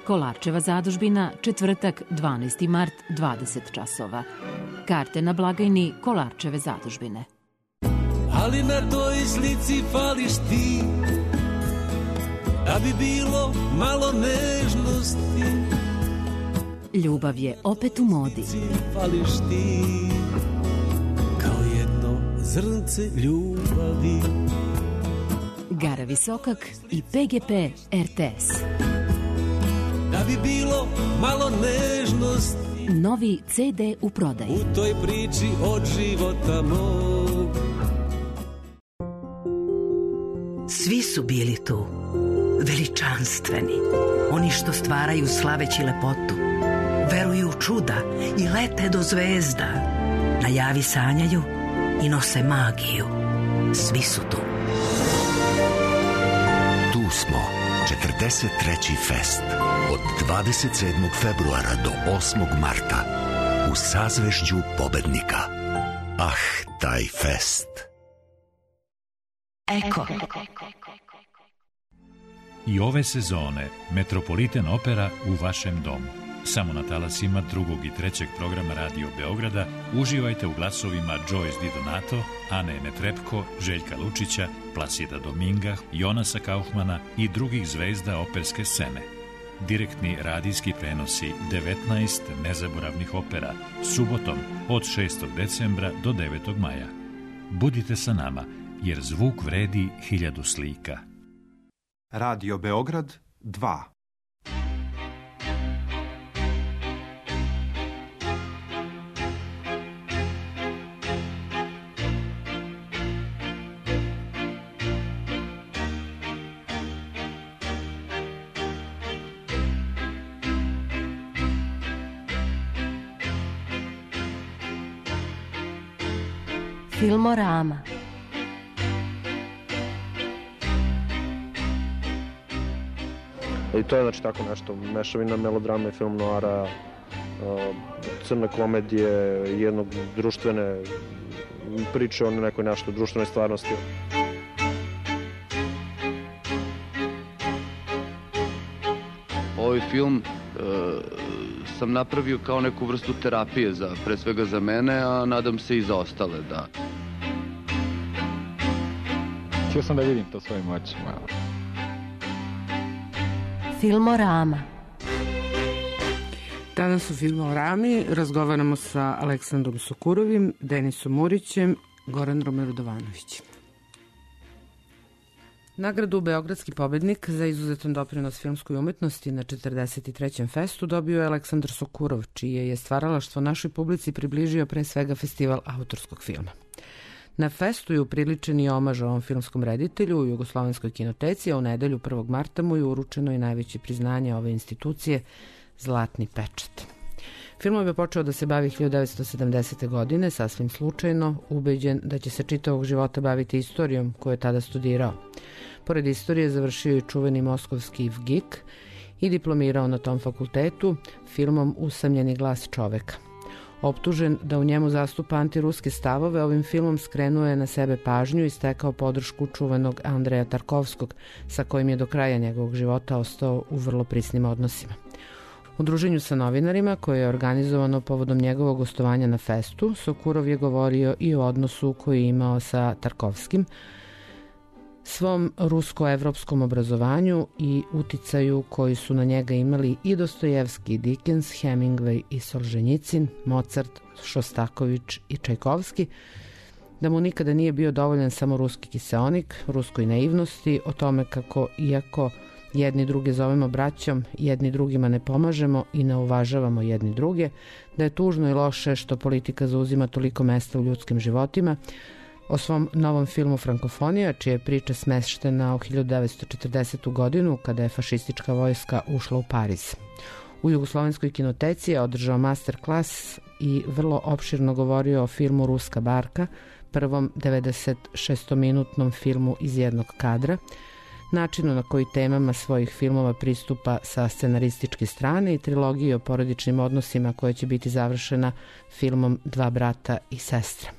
Kolarčeva zadužbina, četvrtak, dvanaesti mart, dvadeset časova. Karte na blagajni Kolarčeve zadužbine. Ali na toj slici fališ ti, da bi bilo malo nežnosti. Ljubav je opet u modi. Fališ ti, kao jedno zrnce ljubavi. Gara Visokak i P G P R T S. Da bi bilo malo nežnosti. Novi C D u prodaji. U toj priči od života mog. Svi su bili tu, veličanstveni, oni što stvaraju slaveći lepotu, veruju u čuda i lete do zvezda, na javi sanjaju i nose magiju. Svi su tu. Tu smo, četrdeset treći fest, od dvadeset sedmog februara do osmog marta, u sazvežđu pobednika. Ah, taj fest. Eko. I ove sezone Metropolitan Opera u vašem domu. Samo na talasima drugog i trećeg programa Radio Beograda uživajte u glasovima Joyce Di Donato, Ane Netrepko, Željka Lučića, Plasida Dominga, Jonasa Kaufmana i drugih zvezda operske scene. Direktni radijski prenosi devetnaest nezaboravnih opera, subotom od šestog decembra do devetog maja. Budite sa nama, jer zvuk vredi hiljadu slika. Radio Beograd dva. Filmorama. I to je znači tako nešto, mešavina melodrama i film noara, crne komedije, jednog društvene priče o nekoj nešto društvenoj stvarnosti. Ovaj film e, sam napravio kao neku vrstu terapije, za, pre svega za mene, a nadam se i za ostale, da. Htio sam da vidim to svojim očima. Filmorama. Danas u Filmorami razgovaramo sa Aleksandrom Sokurovim, Denisom Murićem, Goranom Radovanovićem. Nagradu Beogradski pobednik za izuzetan doprinos filmskoj umetnosti na četrdeset trećem festu dobio je Aleksandar Sokurov, čije je stvaralaštvo našoj publici približio pre svega festival autorskog filma. Na festu je upriličen i omaž ovom filmskom reditelju u Jugoslovenskoj kinoteci, a u nedelju prvog marta mu je uručeno i najveće priznanje ove institucije, Zlatni pečat. Filmom je počeo da se bavi hiljadu devetsto sedamdesete. godine, sasvim slučajno, ubeđen da će se čitavog života baviti istorijom koju je tada studirao. Pored istorije završio i čuveni moskovski V G I K i diplomirao na tom fakultetu filmom Usamljeni glas čoveka. Optužen da u njemu zastupa antiruske stavove, ovim filmom skrenuo je na sebe pažnju i stekao podršku čuvenog Andreja Tarkovskog, sa kojim je do kraja njegovog života ostao u vrlo prisnim odnosima. U druženju sa novinarima, koje je organizovano povodom njegovog gostovanja na festu, Sokurov je govorio i o odnosu koji je imao sa Tarkovskim, svom rusko-evropskom obrazovanju i uticaju koji su na njega imali i Dostojevski, i Dickens, Hemingway i Solženjicin, Mozart, Šostaković i Čajkovski, da mu nikada nije bio dovoljan samo ruski kiseonik, ruskoj naivnosti, o tome kako, iako jedni druge zovemo braćom, jedni drugima ne pomažemo i ne uvažavamo jedni druge, da je tužno i loše što politika zauzima toliko mesta u ljudskim životima. O svom novom filmu Frankofonija, čija je priča smeštena u hiljadu devetsto četrdesetu. godinu, kada je fašistička vojska ušla u Pariz. U Jugoslovenskoj kinoteci je održao master klas i vrlo opširno govorio o filmu Ruska barka, prvom devedeset šestominutnom filmu iz jednog kadra, načinu na koji temama svojih filmova pristupa sa scenarističke strane i trilogiji o porodičnim odnosima koja će biti završena filmom Dva brata i sestre.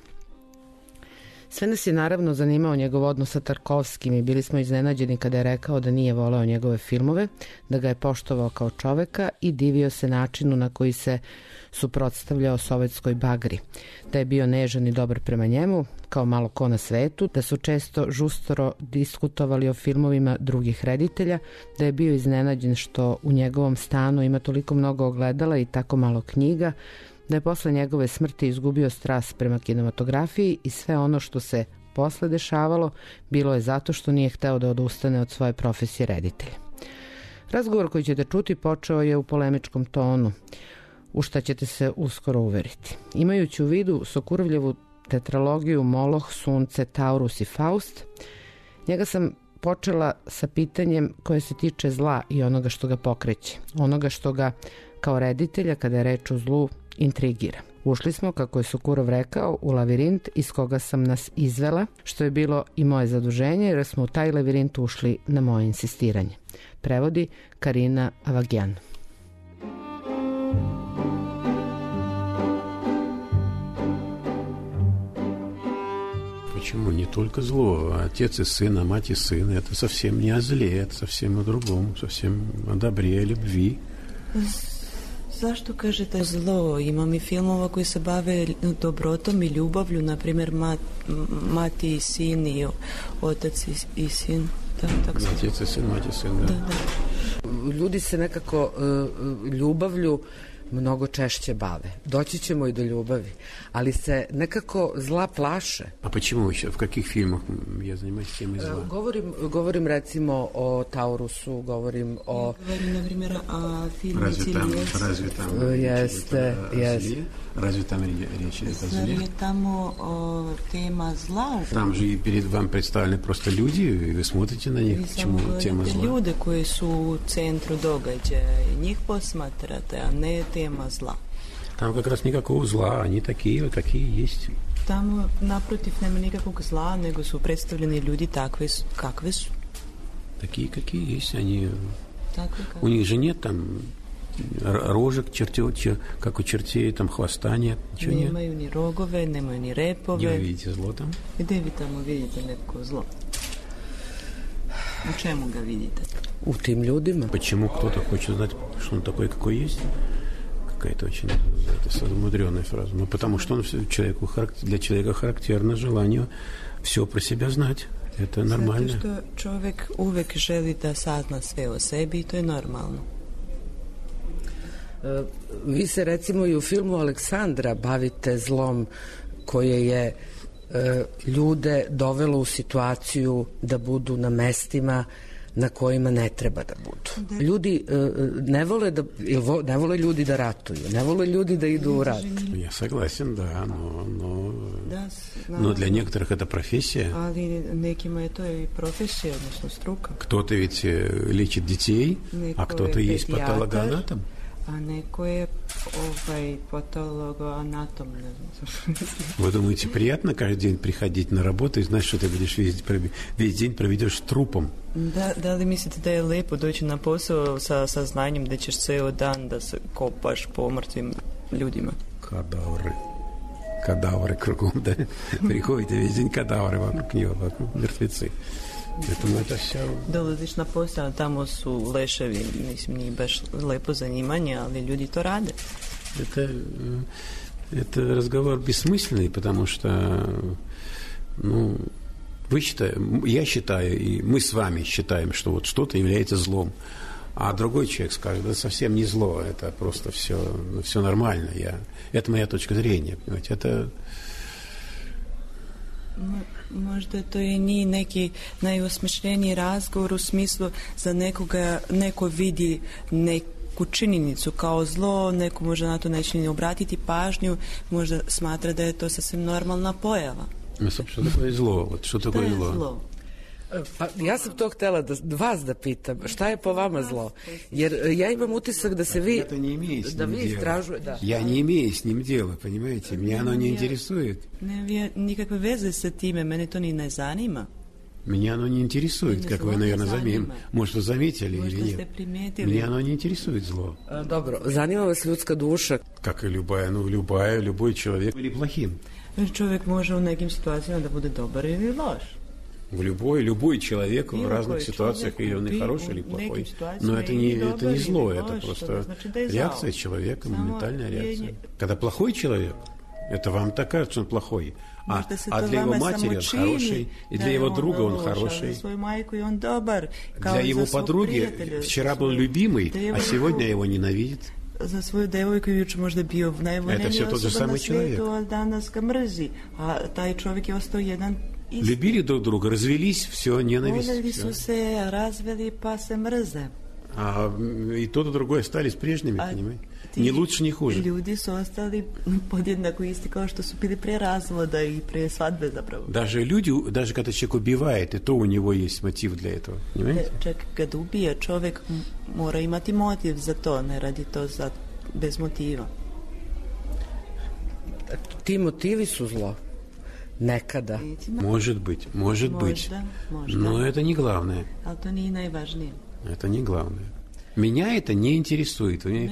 Sve nas je naravno zanimao njegov odnos sa Tarkovskim i bili smo iznenađeni kada je rekao da nije voleo njegove filmove, da ga je poštovao kao čoveka i divio se načinu na koji se suprotstavljao sovjetskoj bagri, da je bio nežan i dobar prema njemu, kao malo ko na svetu, da su često žustoro diskutovali o filmovima drugih reditelja, da je bio iznenađen što u njegovom stanu ima toliko mnogo ogledala i tako malo knjiga, da je posle njegove smrti izgubio strast prema kinematografiji i sve ono što se posle dešavalo bilo je zato što nije hteo da odustane od svoje profesije reditelja. Razgovor koji ćete čuti počeo je u polemičkom tonu, u šta ćete se uskoro uveriti. Imajući u vidu Sokurovljevu tetralogiju Moloh, Sunce, Taurus i Faust, njega sam počela sa pitanjem koje se tiče zla i onoga što ga pokreće, onoga što ga kao reditelja, kada je reč o zlu, intrigira. Ušli smo, kako je Sokurov rekao, u lavirint iz koga sam nas izvela, što je bilo i moje zaduženje, jer smo u taj lavirint ušli na moje insistiranje. Prevodi Karina Avagjan. Почему? Не только зло, а отец и сын, а мать и сын. Это совсем не о зле, это совсем о другом, совсем о добре, о любви. Zašto kažete zlo? Imam i filmova koji se bave dobrotom i ljubavlju, na primjer mat, mati i sin i otac i, i sin. Da, tako sam. Отец и сын, мать и сын, da. Da, da. Ljudi se nekako uh, ljubavlju mnogo češće bave. Doći ćemo i do ljubavi, ali se nekako zla plaše. A почему еще? В каких фильмах я занимаюсь темой зла? Govorim, govorim recimo o Taurusu, govorim o... Govorim, na primjer, o filmu Разве там, разве там jeste, jeste. Разве там речь идет о зле? Zar je tamo o, tema zla? Там же и перед вам представлены просто люди, и вы смотрите на них, почему тема зла. Ljude koji su u centru događaja, njih posmatrate, a ne tema zla. Там как раз никакого зла, они такие, какие есть. Tamo naprotiv nema nikakvog zla, nego su predstavljeni ljudi takve kakve su. Такие, какие есть. Они... Такve, У них же нет там рожек, чертё, чер... как у чертей, там хвоста нет. Ничего нет. Nemaju ni rogove, nemaju ni repove. Gdje vi vidite zlo там? Gde vi tamo vidite neko zlo? U čemu ga vidite? U tim ljudima. Почему кто-то хочет знать, что он такой, какой есть? Какая-то очень это мудрёная фраза. Ну, потому что он человеку, для человека характерно желание все про себя знать. Это нормально. Zato što čovjek uvek želi da sazna sve o sebi i to je normalno. Vi se recimo i u filmu Aleksandra bavite zlom koje je ljude dovelo u situaciju da budu na mestima na kojima ne treba da budu. Da. Ljudi ne vole da ne vole ljudi da ratuju, ne vole ljudi da idu u rat. Я согласен, да, но но da, но для некоторых это профессия. Ali nekima je to i profesija, odnosno struka. Кто-то ведь лечит детей, а кто-то есть патологоанатом. A neko je ovaj patologoanatom, ne znam. Вы думаете, приятно каждый день приходить на работу и знать, что ты будешь весь, весь день проведешь трупом? Da, da li mislite da je lepo doći na posao sa saznanjem da ćeš ceo dan da se kopaš po mrtvim ljudima? Кадавры. Кадавры кругом, да? Приходите весь день кадавры вокруг него, вокруг мертвецы. Поэтому это все... Dolaziš na posao, tamo su leševi, mislim, nije baš lepo zanimanje, ali ljudi to rade. Это, это разговор бессмысленный, потому что, ну, вы считаете, я считаю, и мы с вами считаем, что вот что-то является злом, а другой человек скажет, да совсем не зло, это просто все, все нормально. Я, это моя точка зрения, понимаете, это... Možda to je nije neki najosmišljeniji razgovor u smislu za nekoga, neko vidi neku činjenicu kao zlo, neko možda na to neće ni obratiti pažnju, možda smatra da je to sasvim normalna pojava. Što tako je zlo? Što tako je zlo? zlo? Pa ja sam to htjela da vas da pitam, šta je po vama zlo? Jer ja imam utisak da se vi... Это не имеет с da ним vi дела. istražuje, da. Я не имею с ним дела, понимаете? Меня оно не интересует. Ne, nikakve veze sa time, mene to ni ne zanima. Меня оно не интересует, как вы, наверное, заметили. Может, вы заметили или нет. Меня оно не интересует зло. Dobro, zanima vas ljudska duša. Как и любая, ну, любая, любой человек или плохим. Čovjek može u nekim situacijama da bude dobar ili loš. В любой, любой человек в разных ситуациях, или он и хороший, или плохой. Но это не, это не зло, это просто реакция человека, моментальная реакция. Когда плохой человек, это вам так кажется, что он плохой. А, а для его матери он хороший, и для его друга он хороший. Для его подруги вчера был любимый, а сегодня его ненавидит. Za svoju devojku juče možda bio najvoljeniji osoba na svijetu, a danas ga mrzi. A taj čovjek je ostao jedan isti. Любили друг друга, развелись, все, ненависть. Voljeli su se, razveli, pa se mrze. А и тот, и другой остались прежними, понимаете? Ни лучше, ни хуже. Ljudi su ostali podjednako isti kao što su bili pre razvoda i pre svadbe zapravo. Даже люди, даже когда человек убивает, и то у него есть мотив для этого, понимаете? Čak kad ubije, čovjek mora imati motiv za to, ne radi to za, bez motiva. Ti motivi su zlo. Nekada. Может быть, может быть. Но это не главное. Ali to nije najvažnije. Это не главное. Меня это не интересует. Вы,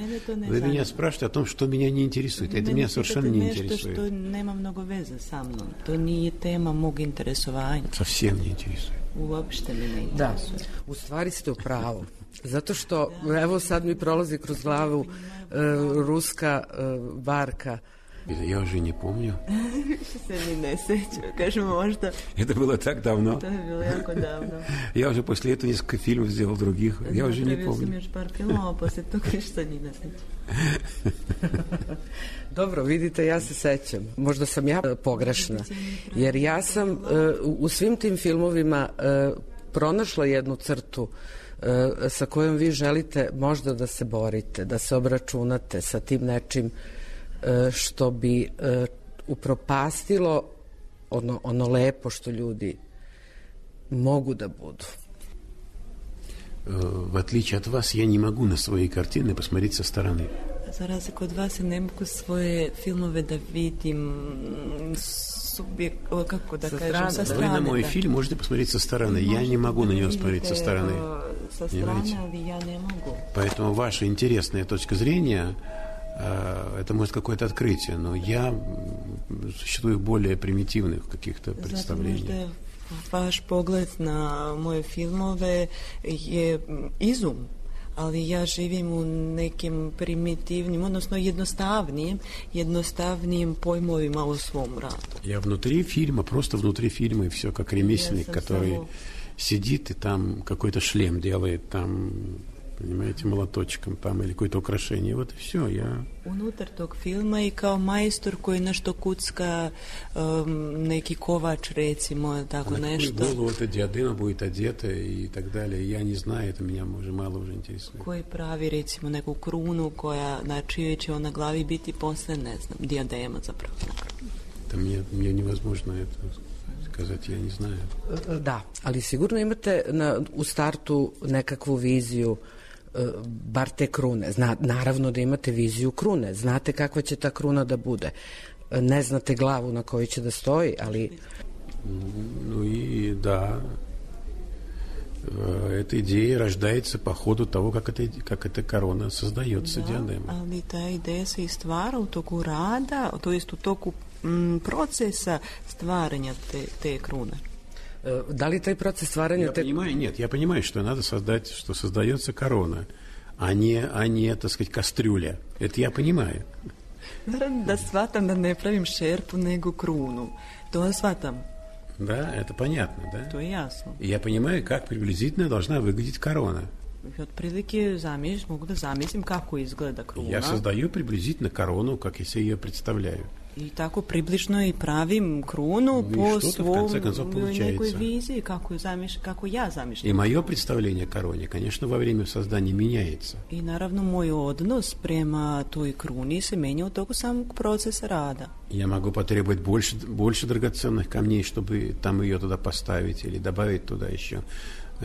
вы меня спрашиваете о том, что меня не интересует. Это меня совершенно не интересует. Što nema mnogo veze sa mnom. To nije tema mog interesovanja. Совсем не интересует. Uopšte me ne interesuje. Da, u stvari ste u pravu. Zato što, evo sad mi prolazi kroz glavu uh, ruska uh, barka. Я уже не помню. Što se mi ne sećam, kažem možda. Это было так давно. To je bilo jako davno. Я уже после этого несколько фильмов сделал других. Я уже не помню. Sam još par filmova, posle toga ništa ni ne sećam. Dobro, vidite, ja se sećam. Možda sam ja pogrešna. Jer ja sam uh, u svim tim filmovima uh, pronašla jednu crtu uh, sa kojom vi želite možda da se borite, da se obračunate sa tim nečim što bi uh, upropastilo ono, ono lepo što ljudi mogu da budu. В отличие от вас, я не могу на свои картины посмотреть со стороны. Za razliku od vas ne mogu svoje filmove da vidim subjekt, kako da sa kažem, strane. sa strane. Вы на мой da. фильм можете посмотреть со стороны. Я не могу на него смотреть со стороны. Sa strane, ali ja ne mogu. Поэтому ваша интересная точка зрения, это может какое-то открытие, но я существую более примитивных каких-то представлений. Vaš pogled na moje filmove je izum, ali ja živim u nekim primitivnim, odnosno jednostavnijim, jednostavnijim pojmovima u svom radu. Я внутри фильма, просто внутри фильма, и все как ремесленник, который само... сидит и там какой-то шлем делает, там, понимаете, молоточком там или какое-то украшение. Вот и все. Я... Unutar tog filma i kao majstor koji nešto kucka, um, neki kovač recimo, tako а nešto. На какую голову эта диадема будет одета и так далее. Я не знаю, это меня уже мало уже интересует. Koji pravi recimo neku krunu koja, na čijoj će ona glavi biti posle, ne znam, diadema zapravo. Это мне, мне невозможно это сказать, я не знаю. Da, ali sigurno imate na, u startu nekakvu viziju bar te krune. Zna, naravno da imate viziju krune. Znate kakva će ta kruna da bude. Ne znate glavu na kojoj će da stoji, ali... Ну и да, эта идея рождается по ходу того, как, это, как эта корона создается, da, диадема. Ali ta ideja se i stvara u toku rada, to jest u toku m, procesa stvaranja te, te krune. Da li taj proces stvaranja... Я te... понимаю, нет, я понимаю, что надо создать, что создается корона, а не, а не, так сказать, кастрюля. Это я понимаю. Naravno da shvatam da ne pravim šerpu, nego krunu. To shvatam. Да, это понятно, да? To je jasno. И я понимаю, как приблизительно должна выглядеть корона. I otprilike zamišljam, mogu da zamislim kako izgleda kruna. Я создаю приблизительно корону, как я себе ее представляю. I tako približno i pravim krunu ну, po svom nekoj viziji, kako, zamiš, kako ja zamišljam. И мое представление о короне, конечно, во время создания меняется. I naravno moj odnos prema toj kruni se menja u toku samog procesa rada. Я могу потребовать больше, больше драгоценных камней, чтобы там ее туда поставить, или добавить туда еще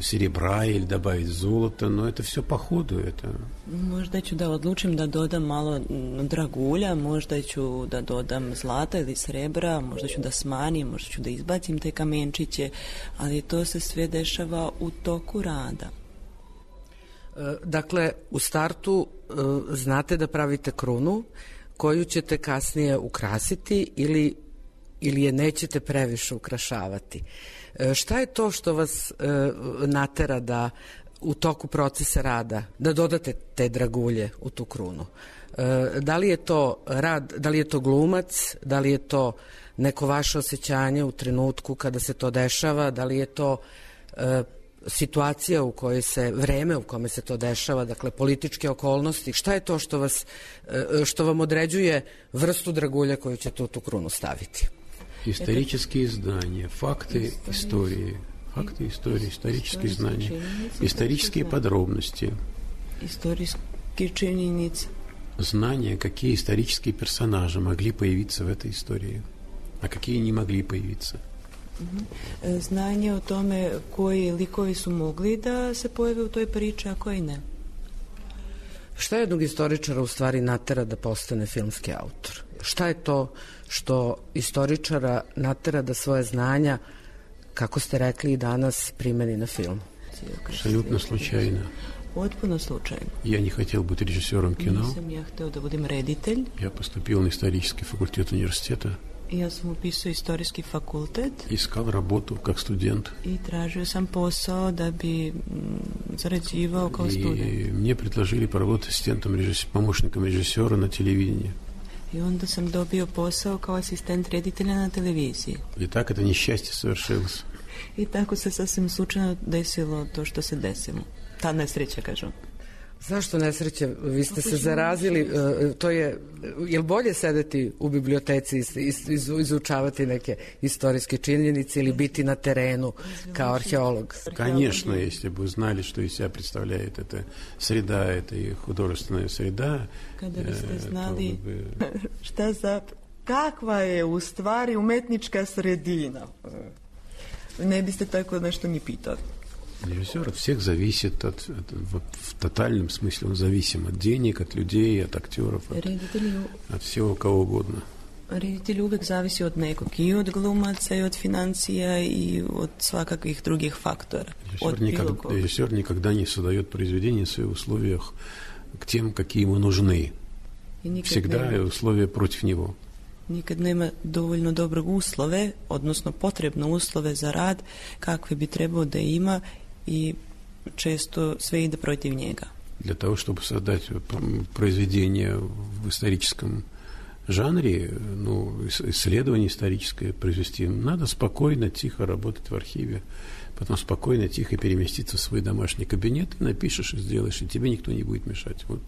серебра или добавить золото, но это все по ходу. Это... Možda ću da odlučim da dodam malo dragulja, možda ću da dodam zlata ili srebra, možda ću da smanjim, možda ću da izbacim te kamenčiće, ali to se sve dešava u toku rada. Dakle, u startu znate da pravite krunu koju ćete kasnije ukrasiti ili, ili je nećete previše ukrašavati. Šta je to što vas e, natera da u toku procesa rada, da dodate te dragulje u tu krunu? E, da li je to rad, da li je to glumac, da li je to neko vaše osjećanje u trenutku kada se to dešava, da li je to e, situacija u kojoj se, vreme u kome se to dešava, dakle političke okolnosti, šta je to što vas, e, što vam određuje vrstu dragulja koju ćete u tu krunu staviti? Исторические знания, факты истории, факты истории, исторические знания, исторические подробности. Исторические činjenice. Знания, какие исторические персонажи могли появиться в этой истории, а какие не могли появиться. Znanje o tome koji likovi su mogli da se pojave u toj priči, a koji ne. Šta jednog istoričara u stvari natera da postane filmski autor? Šta je to što istoričara natera da svoje znanja, kako ste rekli i danas, primeni на film? Абсолютно случайно. Potpuno slučajno. Я не хотел быть режиссером кино. Nisam ja hteo da budem reditelj. Я поступил на исторический факультет университета. Ja sam upisao istorijski fakultet. Искал работу как студент. I tražio sam posao da bi zarađivao kao student. И мне предложили поработать ассистентом режиссера, помощником режиссера на телевидении. I onda sam dobio posao kao asistent reditelja na televiziji. И так это несчастье совершилось. I tako se sasvim slučajno desilo to što se desilo. Ta nesreća, kažu. Zašto nesreće? Vi ste se zarazili, to je, je li bolje sedeti u biblioteci i izučavati neke istorijske činjenice ili biti na terenu kao arheolog? Конечно, если бы знали, что из себя представляет эта среда, это и художественная среда. Kada biste znali šta za, kakva je u stvari umetnička sredina, ne biste tako nešto ni pitali. Режиссер от всех зависит, от, от, в, в тотальном смысле он зависим от денег, от людей, от актеров, от, от всего кого угодно. Reditelj uvek zavisi od nekog, i od glumaca, i od financija, i od svakakvih drugih faktora. Режиссер никогда, режиссер никогда не создает произведение в своих условиях к тем, какие ему нужны. Всегда nema, условия против него. Nikad nema dovoljno dobrog uslove, odnosno potrebno uslove za rad, kakve bi trebao da ima, i često sve ide protiv njega. Для того, чтобы создать произведение в историческом жанре, ну, исследование историческое произвести, надо спокойно, тихо работать в архиве, потом спокойно, тихо переместиться в свой домашний кабинет, и напишешь, и сделаешь, и тебе никто не будет мешать. Вот.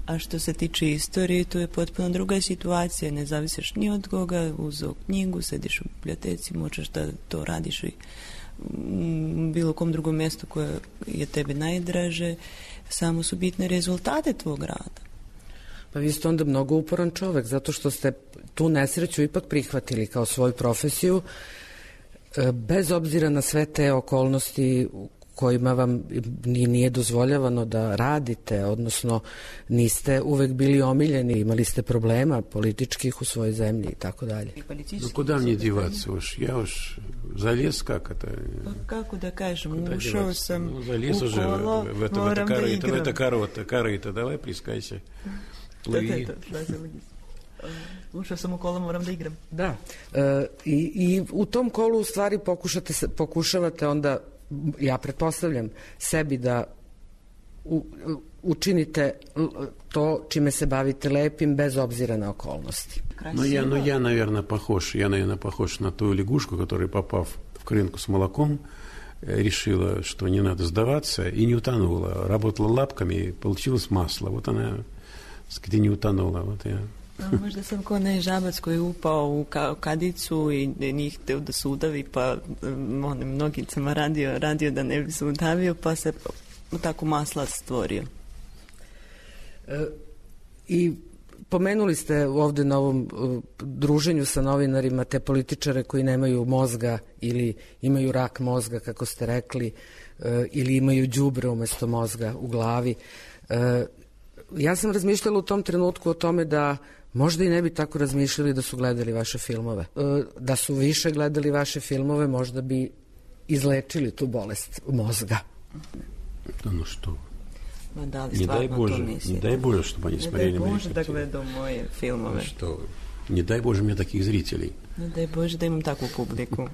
A što se tiče istorije, to je potpuno druga situacija, ne zavisiš ni od koga, uzeo knjigu, sediš u biblioteci, možeš da to radiš i u bilo kom drugom mjestu koje je tebi najdraže, samo su bitne rezultate tvog rada. Pa vi ste onda mnogo uporan čovek, zato što ste tu nesreću ipak prihvatili kao svoju profesiju, bez obzira na sve te okolnosti kojima vam nije dozvoljavano da radite, odnosno niste uvek bili omiljeni, imali ste problema političkih u svojoj zemlji i tako dalje. No kuda мне деваться уж? Я уж залез, как это? Pa kako da kažem, ušao sam ну, залез u уже kolo, в это, moram в это da корыто, в igram. это корыто, корыто, давай плескайся. Плыви. Ušao sam u kolo, moram da igram. Da. E, i, I u tom kolu u stvari pokušate, pokušavate onda, ja pretpostavljam, sebi da u, učinite to čime se bavite lepim bez obzira na okolnosti. Но я, но я, наверное, похож, я, наверное, похож на ту лягушку, которая, попав в крынку с молоком, решила, что не надо сдаваться, и не утонула. Работала лапками, и получилось масло. Вот она, так сказать, и не утонула. Вот я. No, možda sam kao onaj žabac koji je upao u ka- kadicu i nije hteo da se udavi, pa onim nogicama radio, radio da ne bi se udavio, pa se tako masla stvorio. E, I pomenuli ste ovde na ovom uh, druženju sa novinarima te političare koji nemaju mozga ili imaju rak mozga, kako ste rekli, uh, ili imaju đubre umesto mozga u glavi. Uh, ja sam razmišljala u tom trenutku o tome da možda i ne bi tako razmišljali da su gledali vaše filmove. Uh, da su više gledali vaše filmove, možda bi izlečili tu bolest mozga. Да ну что? Ma da li Не дай stvarno to Боже, mislite? не дай Боже, чтобы они Ne смотрели daj мои Bože da картины. gledao moje filmove. Что? Не дай Боже мне таких зрителей. Ne daj Bože da imam takvu publiku.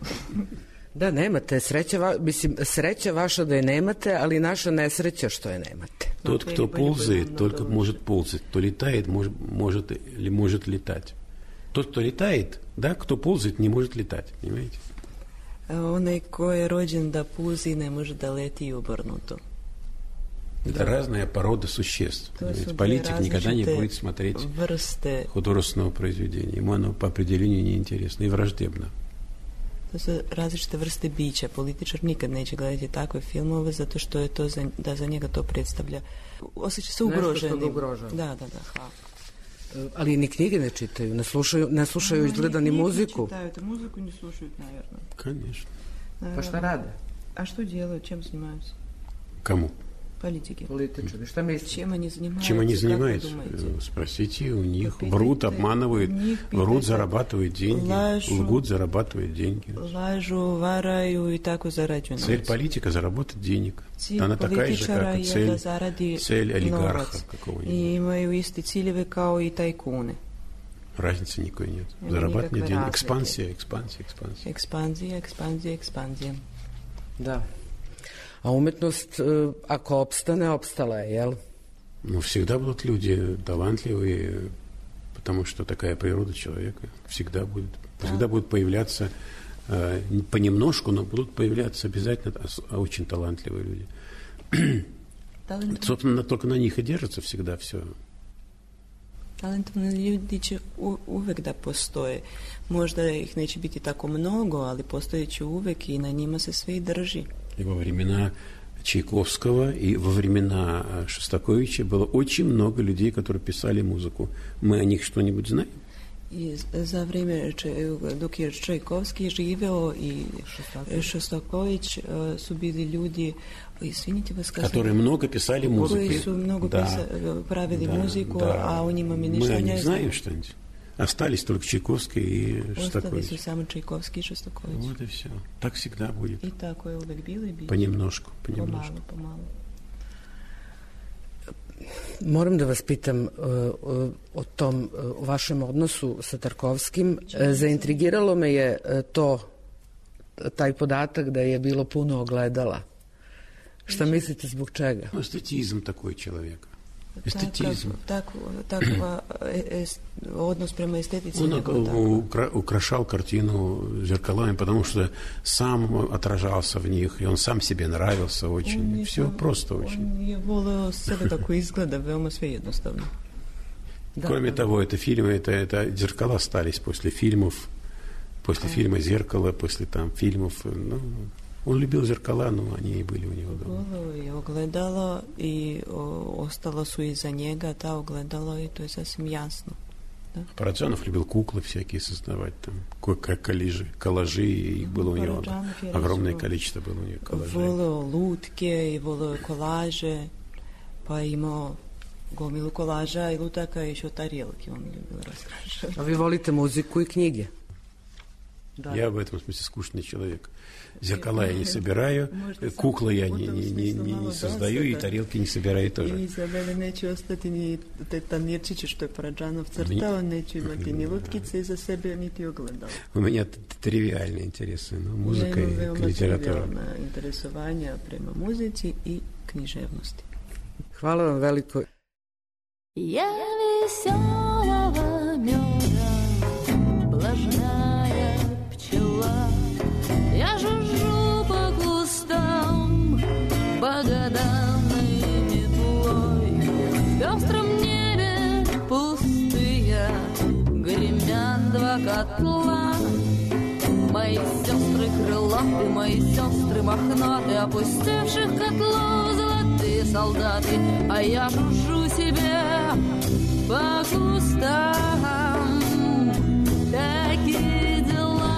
Da, nemate. Sreća, va, mislim, sreća vaša da je nemate, ali naša nesreća što je nemate. Тот, кто ползает, только может ползать. Кто летает, может, может, или может летать. Тот, кто летает, да, кто ползает, не может летать. Понимаете? Onaj ko je rođen da puzi ne može da leti i obrnuto. Это разная порода существ. Политик никогда не будет смотреть vrste, художественного произведения. Ему оно по определению неинтересно и враждебно. To su različite vrste bića. Političar nikad neće gledati takve filmove zato što je to za, da za njega to predstavlja. Osjeća se ugroženim. Nešto što ga ugrožava. Da, da, da, hvala. Ali ni knjige ne čitaju, ne slušaju, ne slušaju izgleda ni muziku. Čitaju, to muziku ne slušaju, naravno. Конечно. Pa šta rade? A što делают, чем занимаются? Кому? Политики. Политичari. Šta mislite? Чем они занимаются? Чем они Как вы занимаются? думаете? Спросите у них. Попитайте Врут, обманывают, у них, врут, питайте. зарабатывают деньги, Лажу. лгут, зарабатывают деньги. Lažu, varaju i tako zarađuju Цель novac. политика – заработать денег. Cilj Она такая же, političara как и je da цель, zaradi цель олигарха novac. какого-нибудь. I imaju isti ciljeve kao i tajkune. Разницы никакой нет. Nema Зарабатывать nikakve денег. razlike. Экспансия, экспансия, экспансия. Ekspanzija, ekspanzija, ekspanzija. Da. A umetnost, e, ako opstane, opstala je, jel? Ну, всегда будут люди талантливые, потому что такая природа человека. Всегда будет. Всегда будут появляться э, понемножку, но будут появляться обязательно очень талантливые люди. Talent, Собственно, только на них и держится всегда все. talentovni ljudi će u, uvek da postoje. Možda ih neće biti tako mnogo, ali postoje će uvek i na njima se sve i drži. И во времена Чайковского, и во времена Шостаковича было очень много людей, которые писали музыку. Мы о них что-нибудь знаем? I za vrijeme Če- dok je Čajkovski živeo i Šostaković uh, su bili ljudi, izvinite vas, Которые много писали музыку. koji su mnogo Да. pisa, pravili Да, muziku, да. a o njima mi Мы ništa о ne них znamo. знаем что-нибудь? Остались только Чайковский и Шостакович. Остались само Чайковский и Шостакович. Вот и все. Так всегда будет. И такое uvek bilo i bit. Понемножку, понемножку. Pomalo, pomalo. Moram da vas pitam uh, o tom uh, vašem odnosu sa Tarkovskim. Uh, zaintrigiralo me je uh, to, taj podatak da je bilo puno ogledala. Šta mislite zbog čega? Estetizam takoj čovjeka. Estetizam. Takav, takav est, odnos prema estetici. Он укра, украшал картину зеркалами, потому что сам отражался в них, и он сам себе нравился очень. Он все сам, просто очень. Он je voleo sebe tako izgleda, veoma sve jednostavno. Кроме да, того, это фильмы, это, это зеркала остались после фильмов, после а. фильма «Зеркало», после там фильмов. Ну, он любил зеркала, но они и были у него дома. Voleo je ogledalo i o, ostalo su iza njega ta ogledalo i to je sasvim jasno. Да? Параджанов любил куклы всякие создавать, там, коллажи, коллажи, и их было у него огромное количество было у него коллажей. Voleo lutke i voleo kolaže, pa imao gomilu kolaža i lutaka i još tarilke on ljubio raskrašati. A vi volite muziku i knjige? Да. Я в этом смысле скучный человек. Зеркала я не собираю, куклы я не, не, не, не, не создаю, и тарелки не собираю тоже. I za mene neće ostati ni te tanirčiće što je Paradžanov crtao, neću imati ni lutkice za sebe, niti ogledala. У меня тривиальные интересы, ну, музыка и литература. Trivialna interesovanja prema muzici i književnosti. Hvala vam veliko. Я веселого меда, блажная пчела, я жужжу по кустам, по годам метлой. В пестром небе пустые гремят два котла. Мои сестры крылаты, мои сестры мохнаты, опустевших котлов золотые солдаты, а я жужжу себе по кустам. Такие дела.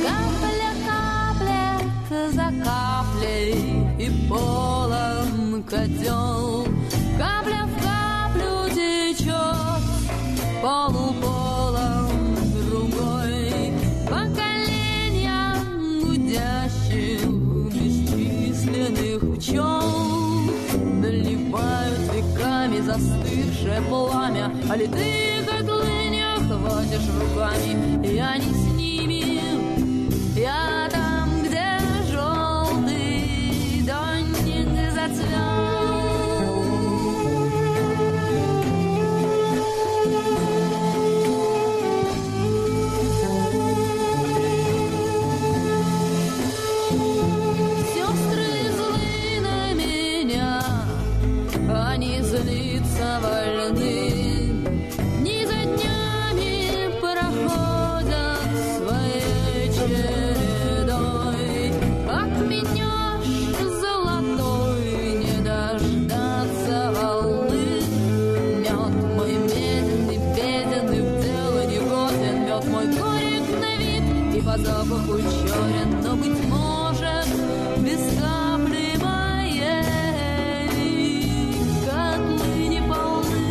Капля каплет за каплей, и полон котел. Капля в каплю течет, полуполон другой. Поколениям гудящих бесчисленных пчел доливают веками застывшее пламя, а литые котлы не охватишь руками. Я не с ними, я там, где желтый донник зацвел. Сестры злы на меня, они злиться вольны. Дни за днями проходят своей чередой. Отменешь золотой, не дождаться волны. Мед мой медленный, беден и в дело не годен. Мед мой горек на вид и по запаху черен, но, быть может, без капли моей котлы не полны.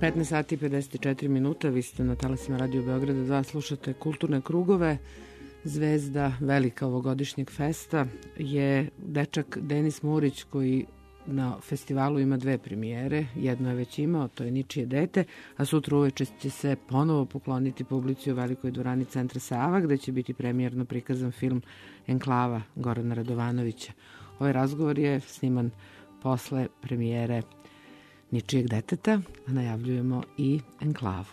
petnaest sati i pedeset četiri minuta, vi ste na talasima Radio Beograda dva, slušate Kulturne krugove. Zvezda velika ovogodišnjeg festa je dečak Denis Murić, koji na festivalu ima dve premijere. Jedno je već imao, to je Ničije dete, a sutra uveče će se ponovo pokloniti publici u velikoj dvorani Centra Sava, gde će biti premijerno prikazan film Enklava Gorana Radovanovića. Ovaj razgovor je sniman posle premijere Ničijeg deteta, a najavljujemo i Enklavu.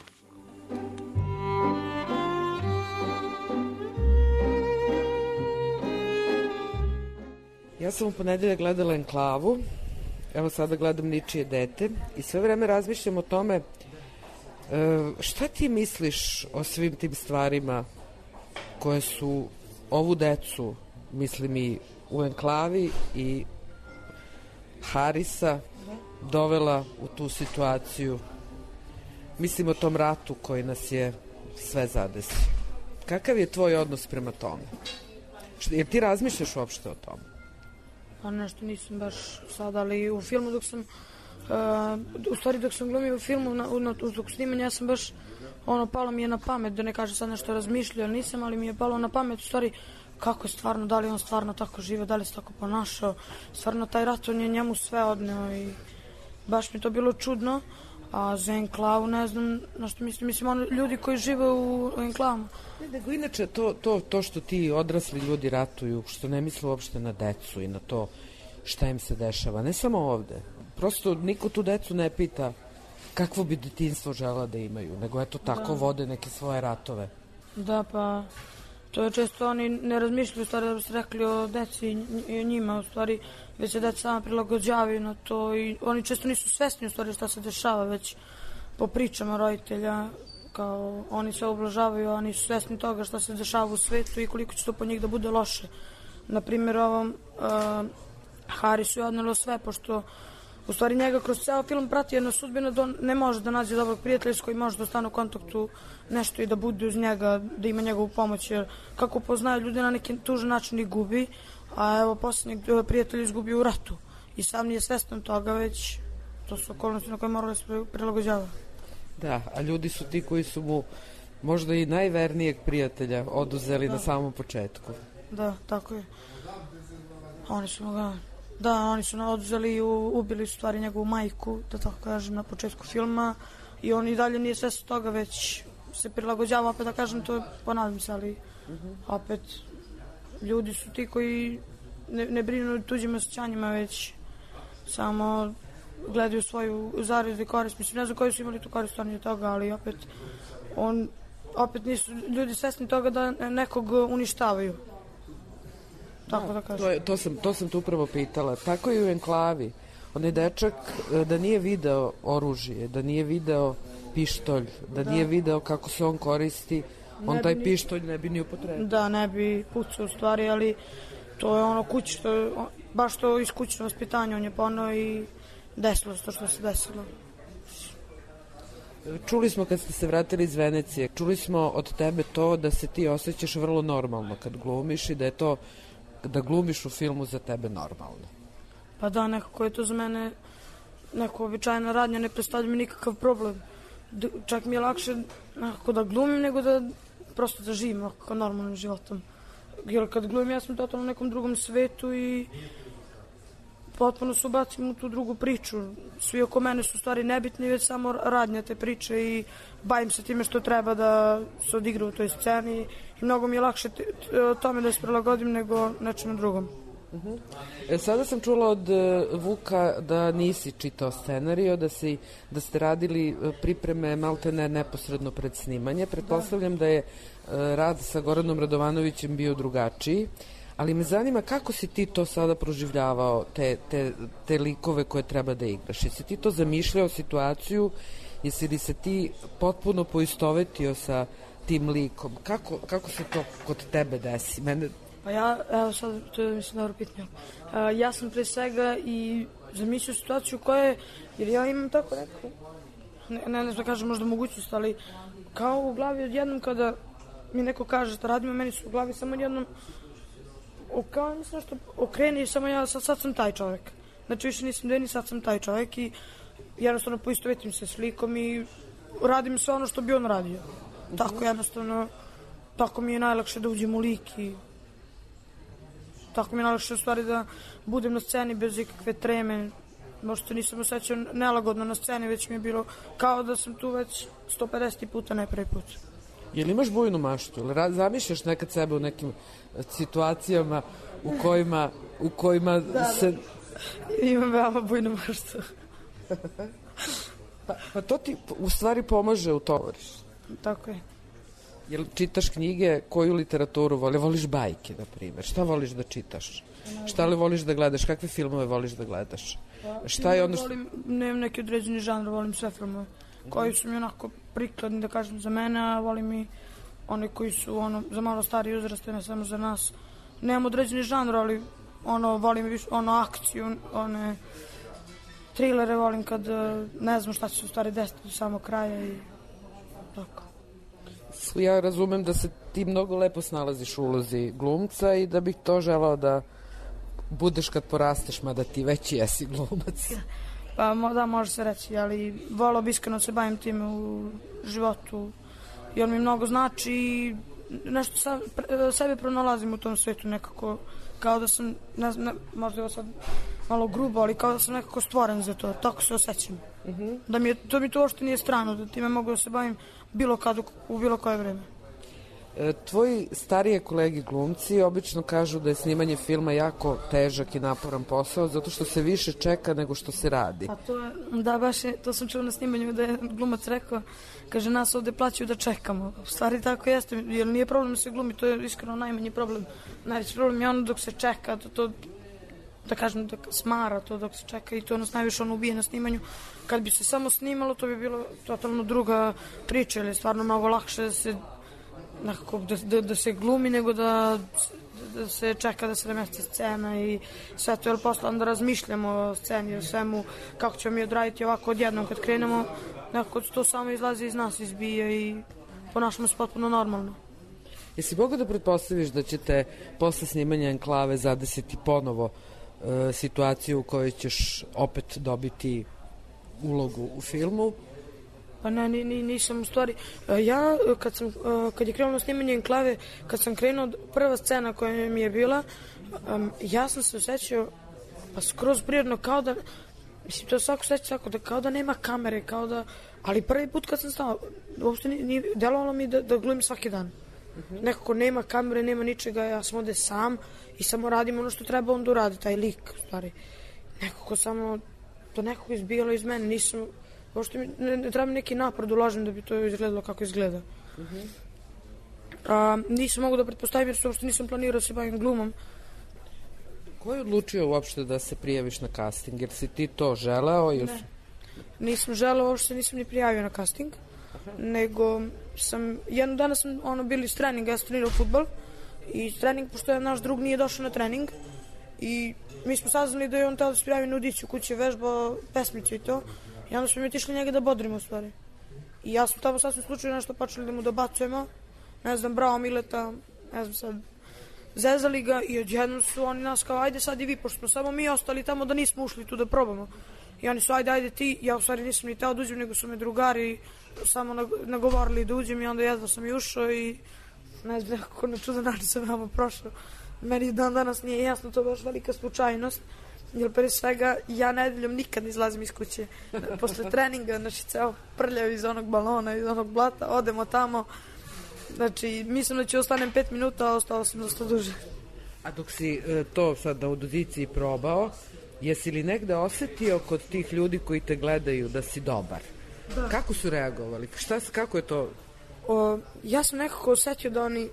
Ja sam u ponedeljak gledala Enklavu, evo sada gledam Ničije dete i sve vreme razmišljam o tome šta ti misliš o svim tim stvarima koje su ovu decu, mislim i u Enklavi i Harisa, dovela u tu situaciju. Mislim o tom ratu koji nas je sve zadesio. Kakav je tvoj odnos prema tome? Jer ti razmišljaš uopšte o tome? Pa nešto nisam baš sad, ali u filmu dok sam, uh, u stvari dok sam glumio u filmu, na, na, dok snimanja, ja sam baš, ono, palo mi je na pamet, da ne kažem sad nešto razmišljao, nisam, ali mi je palo na pamet, u stvari, kako je stvarno, da li on stvarno tako žive, da li se tako ponašao, stvarno taj rat, on je njemu sve odneo i baš mi to bilo čudno, a za Enklavu ne znam na što mislim, mislim, oni ljudi koji žive u Enklavama. Ne, nego inače to, to, to što ti odrasli ljudi ratuju, što ne misle uopšte na decu i na to šta im se dešava, ne samo ovde. Prosto niko tu decu ne pita kakvo bi detinjstvo žela da imaju, nego eto tako da vode neke svoje ratove. Da, pa to je često oni ne razmišljaju, u stvari da bi se rekli o deci i o njima, u stvari već se deca sama prilagođavaju na to i oni često nisu svesni u stvari šta se dešava, već po pričama roditelja, kao oni se ublažavaju, oni su svesni toga šta se dešava u svetu i koliko će to po njih da bude loše. Naprimjer, ovom uh, Harisu je odnelo sve, pošto u stvari njega kroz ceo film prati jedna sudbina da on ne može da nađe dobrog prijatelja s kojim može da stane u kontaktu nešto i da bude uz njega, da ima njegovu pomoć, jer kako poznaju ljudi na neki tužan način i gubi, a evo posljednjeg prijatelja izgubio u ratu i sam nije svestan toga, već to su okolnosti na koje mora da se prilagođava. Da, a ljudi su ti koji su mu možda i najvernijeg prijatelja oduzeli da. Na samom početku. Da, tako je. Oni su ga... Da, oni su nam oduzeli i ubili su stvari njegovu majku, da tako kažem, na početku filma i on i dalje nije svestan toga, već se prilagođava, opet da kažem, to ponavljam se, ali uh-huh. opet ljudi su ti koji ne, ne brinu tuđim osjećanjima, već samo gledaju svoju zaradu i korist. Mislim, ne znam koji su imali tu korist od toga, ali opet on, opet nisu ljudi svesni toga da nekog uništavaju. Tako da kažem. To, je, to, sam, to sam tu upravo pitala. Tako i u Enklavi. Onaj dečak da nije video oružje, da nije video pištolj, da, da. nije video kako se on koristi, on ne taj ni... pištolj ne bi ni upotrebio. Da, ne bi pucao u stvari, ali to je ono kućno, baš to iz kućnog vaspitanja on je ponao i desilo se to što se desilo. Čuli smo kad ste se vratili iz Venecije, čuli smo od tebe to da se ti osjećaš vrlo normalno kad glumiš i da je to da glumiš u filmu za tebe normalno. Pa da, nekako je to za mene neko običajna radnja, ne predstavlja mi nikakav problem. D čak mi je lakše nekako da glumim nego da prosto da živim nekako normalnim životom. Jer kad glumim ja sam totalno u nekom drugom svetu i potpuno se ubacim u tu drugu priču. Svi oko mene su stvari nebitni, već samo radnja te priče i bavim se time što treba da se odigra u toj sceni i mnogo mi je lakše tome da se prilagodim nego nečemu drugom. Uh -huh. e, sada sam čula od uh, Vuka da nisi čitao scenario, da, si, da ste radili pripreme maltene neposredno pred snimanje. Pretpostavljam da, da je uh, rad sa Goranom Radovanovićem bio drugačiji. Ali me zanima kako si ti to sada proživljavao, te, te, te likove koje treba da igraš. Jesi ti to zamišljao situaciju, jesi li se ti potpuno poistovetio sa tim likom? Kako, kako se to kod tebe desi? Mene... Pa ja, evo sad, to je mislim dobro pitanje. Uh, ja sam pre svega i zamislio situaciju koja je, jer ja imam tako neku, ne, ne, ne znam da kažem možda mogućnost, ali kao u glavi odjednom kada mi neko kaže da radimo, meni su u glavi samo jednom kao mislim što okreni i samo ja sad, sad sam taj čovjek. Znači više nisam Deni, sad sam taj čovjek i jednostavno poistovetim se s likom i radim sve ono što bi on radio. Mm-hmm. Tako jednostavno, tako mi je najlakše da uđem u lik i tako mi je najlakše u stvari da budem na sceni bez ikakve treme. Možda nisam osjećao nelagodno na sceni, već mi je bilo kao da sam tu već sto pedeset puta, ne prvi put. Jel imaš bujnu maštu? Ili zamišljaš nekad sebe u nekim situacijama u kojima, u kojima da, se... Da. Imam veoma bujnu maštu. Pa, pa to ti u stvari pomaže u to. Tako je. Jel čitaš knjige, koju literaturu voli? Voliš bajke, na primjer? Šta voliš da čitaš? Šta li voliš da gledaš? Kakve filmove voliš da gledaš? Šta je ono što... Volim, nemam neki određeni žanr, volim sve filmove koji su mi onako prikladni, da kažem, za mene, a volim i one koji su ono, za malo stariji uzraste, ne samo za nas. Nemam određeni žanr, ali ono, volim više, ono, akciju, one trilere volim kad ne znam šta će se u stvari desiti do samog kraja i tako. Ja razumem da se ti mnogo lepo snalaziš u ulozi glumca i da bih to želao da budeš kad porasteš, mada ti već jesi glumac. Pa da, može se reći, ali volao bi iskreno se bavim time u životu, jer mi mnogo znači i nešto sa, pre, sebe pronalazim u tom svetu nekako, kao da sam, ne znam, ne, možda je ovo sad malo grubo, ali kao da sam nekako stvoren za to, tako se osjećam. Uh-huh. Da mi je, to mi to uopšte nije strano, da time mogu da se bavim bilo kad, u bilo koje vreme. E, tvoji starije kolegi glumci obično kažu da je snimanje filma jako težak i naporan posao, zato što se više čeka nego što se radi. A to je, da, baš je, to sam čuo na snimanju da je glumac rekao, kaže, nas ovde plaćaju da čekamo. U stvari tako jeste, jer nije problem da se glumi, to je iskreno najmanji problem. Najveći problem je ono dok se čeka, to, to da kažem, da smara to dok se čeka i to nas najviše ono ubije na snimanju. Kad bi se samo snimalo, to bi bilo totalno druga priča, jer je stvarno mnogo lakše da se nekako da, da, da se glumi nego da, da se čeka da se namesti scena i sve to, jer posle onda razmišljamo o sceni, o svemu, kako ćemo mi odraditi ovako odjednom kad krenemo, nekako to samo izlazi iz nas, izbija i ponašamo se potpuno normalno. Jesi mogao da pretpostaviš da ćete posle snimanja Enklave zadesiti ponovo e, situaciju u kojoj ćeš opet dobiti ulogu u filmu? Pa ne, ni, ni, nisam u stvari. Ja, kad, sam, kad je krenulo snimanje Enklave, kad sam krenuo, prva scena koja mi je bila, um, ja sam se osjećao pa skroz prirodno, kao da, mislim, to svako osjeća tako, da kao da nema kamere, kao da, ali prvi put kad sam stao, uopšte nije, nije delovalo mi da, da glumim svaki dan. Uh-huh. Nekako nema kamere, nema ničega, ja sam ovde sam i samo radim ono što treba onda uradi, taj lik, u stvari. Nekako samo, to nekako izbijalo iz mene, nisam, uopšte mi, ne, ne treba mi neki napor da uložim da bi to izgledalo kako izgleda. Uh-huh. A, nisam mogu da pretpostavim jer uopšte nisam planirao da se bavim glumom. Ko je odlučio uopšte da se prijaviš na casting? Jer si ti to želeo? Ili... Ne, nisam želeo, uopšte nisam ni prijavio na casting. Aha. Nego sam, jednog dana sam ono, bili s treninga, ja sam trenirao futbol i trening, pošto je naš drug nije došao na trening i mi smo saznali da je on teo da se prijavi na audiciju, kući je vežbao pesmicu i to i onda smo mi otišli njega da bodrimo u stvari. I ja sam tamo sasvim slučajno nešto počeli da mu dobacujemo, ne znam, bravo Mileta, ne znam sad, zezali ga i odjednom su oni nas kao ajde sad i vi, pošto smo samo mi ostali tamo da nismo ušli tu da probamo. I oni su ajde, ajde ti, ja u stvari nisam ni teo da uđem, nego su me drugari samo nagovorili da uđem i onda jedva sam i ušao i ne znam, nekako na čudan način sam vama prošao. Meni dan danas nije jasno, to je baš velika slučajnost, jer pre svega ja nedeljom nikad ne izlazim iz kuće. Posle treninga, znači ceo prljav iz onog balona, iz onog blata, odemo tamo. Znači, mislim da ću ostanem pet minuta, a ostalo sam dosta duže. A dok si e, to sad na audiciji probao, jesi li negde osetio kod tih ljudi koji te gledaju da si dobar? Da. Kako su reagovali? Šta, kako je to? O, ja sam nekako osetio da oni,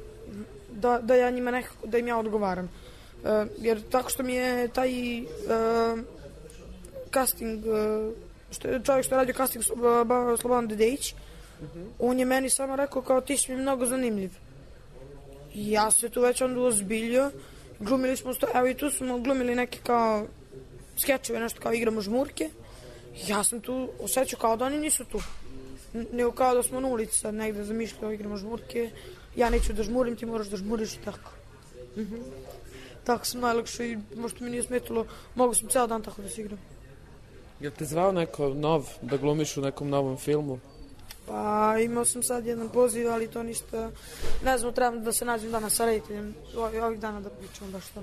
da, da ja njima nekako, da im ja odgovaram. E, jer tako što mi je taj e, casting, e, što je čovjek što je radio casting Slobodan Dedejić, uh-huh. On je meni samo rekao kao ti si mi mnogo zanimljiv. I ja se tu već onda ozbiljio. Glumili smo, evo i tu smo glumili neke kao skečeve, nešto kao igramo žmurke. Ja sam tu osjećao kao da oni nisu tu. Nego kao da smo na ulici sad negde zamišljao igramo žmurke. Ja neću da žmurim, ti moraš da žmuriš i tako. Uh-huh. Tako sam najlakše i možda mi nije smetilo. Mogu sam ceo dan tako da se igram. Jel te zvao neko nov da glumiš u nekom novom filmu? Pa imao sam sad jedan poziv, ali to ništa, ne znam, trebam da se nađem danas sa rediteljem, ovih dana da pričam baš to.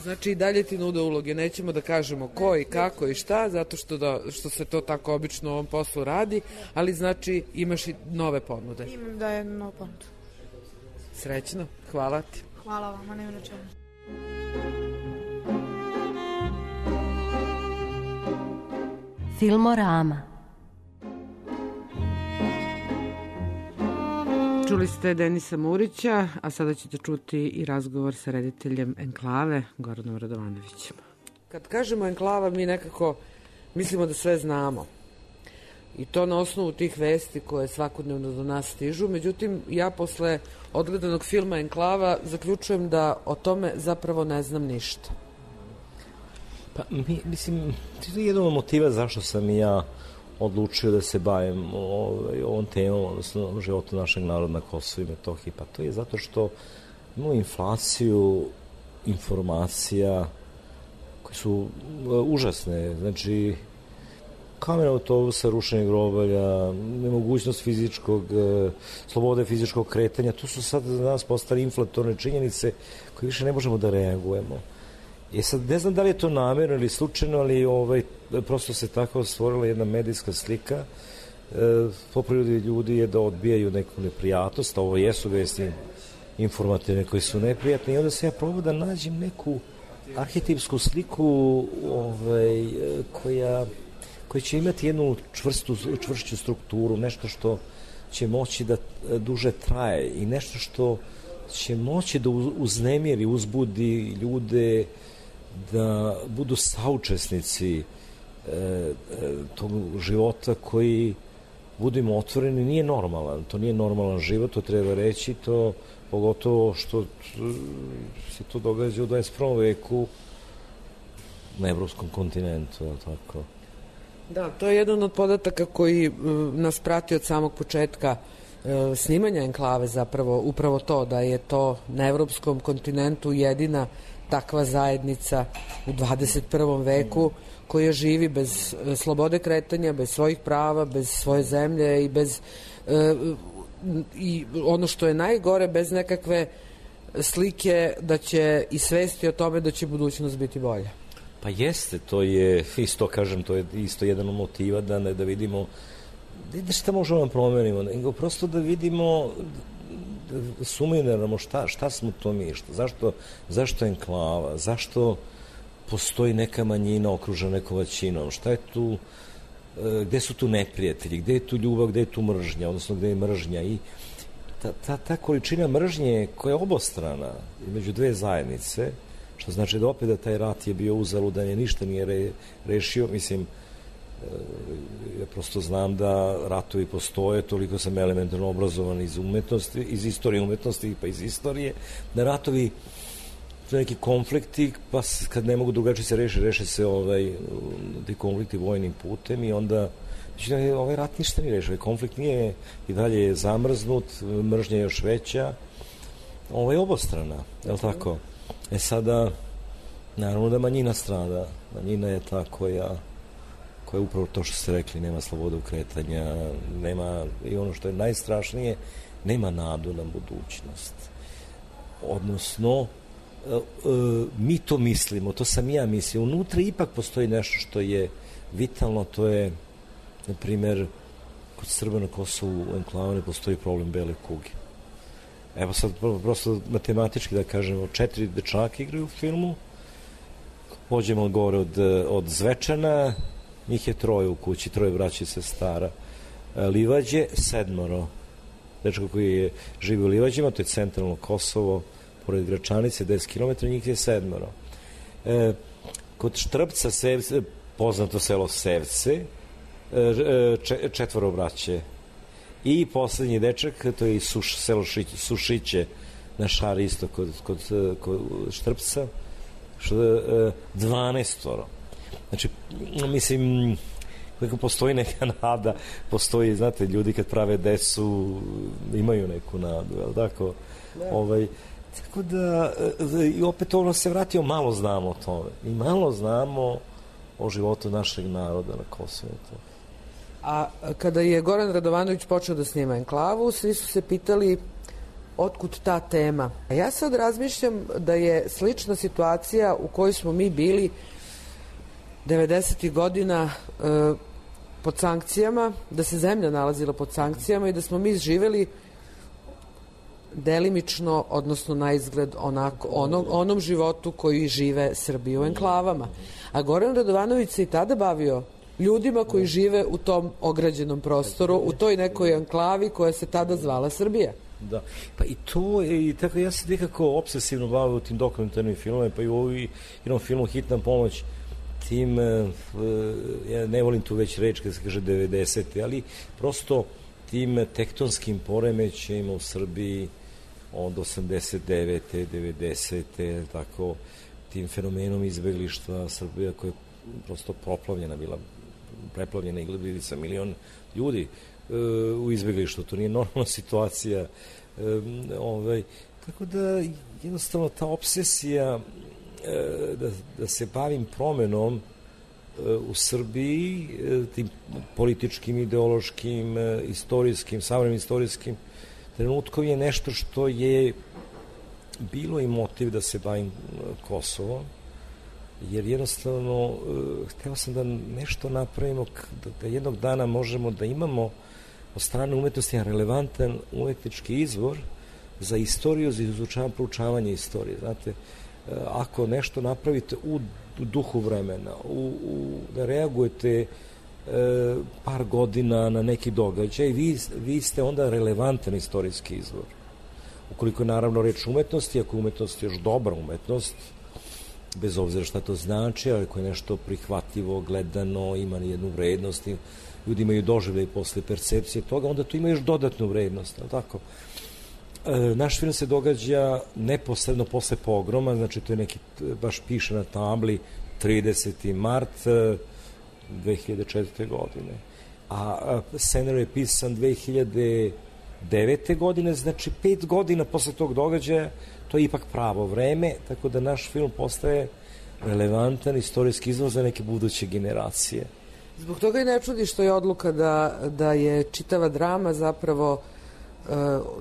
Znači i dalje ti nude uloge, nećemo da kažemo ko i kako i šta, zato što, da, što se to tako obično u ovom poslu radi, ali znači imaš i nove ponude. Imam da je novu ponudu. Srećno, hvala ti. Hvala vama, nema na čemu. Filmorama. Čuli ste Denisa Murića, a sada ćete čuti i razgovor sa rediteljem Enklave, Goranom Radovanovićem. Kad kažemo Enklava, mi nekako mislimo da sve znamo. I to na osnovu tih vesti koje svakodnevno do nas stižu. Međutim, ja posle odgledanog filma Enklava zaključujem da o tome zapravo ne znam ništa. Pa, mi, mislim, to je jedan od motiva zašto sam i ja odlučio da se bavim ovaj, ovom temom, odnosno životu našeg naroda na Kosovu i Metohiji. Pa to je zato što imamo inflaciju informacija koje su užasne. Znači, kamera autobusa, rušenje grobalja, nemogućnost fizičkog, slobode fizičkog kretanja, to su sad za nas postali inflatorne činjenice koje više ne možemo da reagujemo. E sad, ne znam da li je to namjerno ili slučajno, ali ovaj, prosto se tako stvorila jedna medijska slika. E, po prirodi ljudi je da odbijaju neku neprijatnost, a ovo jesu vesti informativne koji su neprijatni, i onda se ja probao da nađem neku arhetipsku sliku ovaj, koja, koja će imati jednu čvrstu, čvršću strukturu, nešto što će moći da duže traje i nešto što će moći da uznemiri, uzbudi ljude, da budu saučesnici e, tog života koji, budimo otvoreni, nije normalan. To nije normalan život, to treba reći, to pogotovo što se to događa u dvadeset prvom veku na evropskom kontinentu, tako. Da, to je jedan od podataka koji nas prati od samog početka snimanja Enklave, zapravo upravo to, da je to na evropskom kontinentu jedina takva zajednica u dvadeset prvom veku koja živi bez slobode kretanja, bez svojih prava, bez svoje zemlje i bez i ono što je najgore, bez nekakve slike da će i svesti o tome da će budućnost biti bolja. Pa jeste, to je isto, kažem, to je isto jedan od motiva da, ne, da vidimo da šta možemo da promenimo, nego prosto da vidimo, da sumiramo šta, šta smo to mi, šta, zašto, zašto je Enklava, zašto postoji neka manjina okružena nekom većinom, šta je tu, gde su tu neprijatelji, gde je tu ljubav, gde je tu mržnja, odnosno gde je mržnja, i ta, ta, ta količina mržnje koja je obostrana između dve zajednice, što znači da opet da taj rat je bio uzaludan, je ništa nije re, rešio, mislim, ja prosto znam da ratovi postoje, toliko sam elementarno obrazovan iz umetnosti, iz istorije umetnosti, pa iz istorije, da ratovi neki konflikti, pa kad ne mogu drugačije se reši, reše se ovaj, ti konflikti vojnim putem, i onda znači, ovaj rat ništa nije rešio, ovaj konflikt nije, i dalje je zamrznut, mržnja je još veća, ovo je obostrana, je li tako? E sada, naravno da manjina strada, manjina je ta koja koja je upravo to što ste rekli, nema slobodu kretanja, nema, i ono što je najstrašnije, nema nadu na budućnost. Odnosno, mi to mislimo, to sam ja mislio, unutra ipak postoji nešto što je vitalno, to je, na primjer, kod Srba na Kosovu u Enklavu ne postoji problem bele kuge. Evo sad, prosto matematički da kažemo, četiri dečaka igraju u filmu, pođemo gore od, od Zvečana, njih je troje u kući, troje braće i sestara. Livađe, sedmoro. Dečko koji je živi u Livađima, to je centralno Kosovo, pored Gračanice, deset kilometara, njih je sedmoro. E, kod Štrpca, Sevce, poznato selo Sevce, e, četvoro braće. I poslednji dečak, to je Suš, selo Šić, Sušiće, na Šari, isto kod, kod, kod Štrpca, što je dvanaestoro. Znači, mislim, kako postoji neka nada, postoji, znate, ljudi kad prave decu imaju neku nadu, je li tako? Da. Ovaj, tako da, i opet ono se vratio, malo znamo o tome. I malo znamo o životu našeg naroda na Kosovu. A kada je Goran Radovanović počeo da snima Enklavu, svi su se pitali otkud ta tema. A ja sad razmišljam da je slična situacija u kojoj smo mi bili devedesetih godina e, pod sankcijama, da se zemlja nalazila pod sankcijama i da smo mi živeli delimično, odnosno na izgled onako, onom, onom životu koji žive Srbi u enklavama. A Goran Radovanović se i tada bavio ljudima koji žive u tom ograđenom prostoru, u toj nekoj enklavi koja se tada zvala Srbija. Da, pa i to, i tako ja se nekako obsesivno bavio tim dokumentarnim filmom, pa i u ovoj jednom filmu Hitna pomoć, tim, ja ne volim tu već reč kad se kaže devedesete, ali prosto tim tektonskim poremećajima u Srbiji od osamdeset devete, devedesete, tako, tim fenomenom izbeglištva Srbija koja je prosto proplavljena bila, preplavljena i bili sa milion ljudi e, u izbeglištvu. To nije normalna situacija. E, ovaj, tako da jednostavno ta obsesija e, da, da se bavim promenom e, u Srbiji, e, tim političkim, ideološkim, e, istorijskim, savremenim istorijskim trenutkom je nešto što je bilo i motiv da se bavim Kosovom, jer jednostavno hteo sam da nešto napravimo, da, da jednog dana možemo da imamo od strane umetnosti relevantan umetnički izvor za istoriju, za izučavanje, proučavanje istorije. Znate, ako nešto napravite u duhu vremena, u, u, da reagujete e, par godina na neki događaj, vi, vi ste onda relevantan istorijski izvor. Ukoliko je naravno reč umetnosti, ako je umetnost još dobra umetnost, bez obzira šta to znači, ali ako je nešto prihvatljivo, gledano, ima jednu vrednost, ljudi imaju doživljaj posle percepcije toga, onda to ima još dodatnu vrednost, ali tako? E, naš film se događa neposredno posle pogroma, znači to je neki, baš piše na tabli, trideseti mart dve hiljade četvrte. godine. A scenarij je pisan dve hiljade devete. godine, znači pet godina posle tog događaja, to je ipak pravo vreme, tako da naš film postaje relevantan istorijski izvor za neke buduće generacije. Zbog toga i ne čudi što je odluka da, da je čitava drama zapravo e,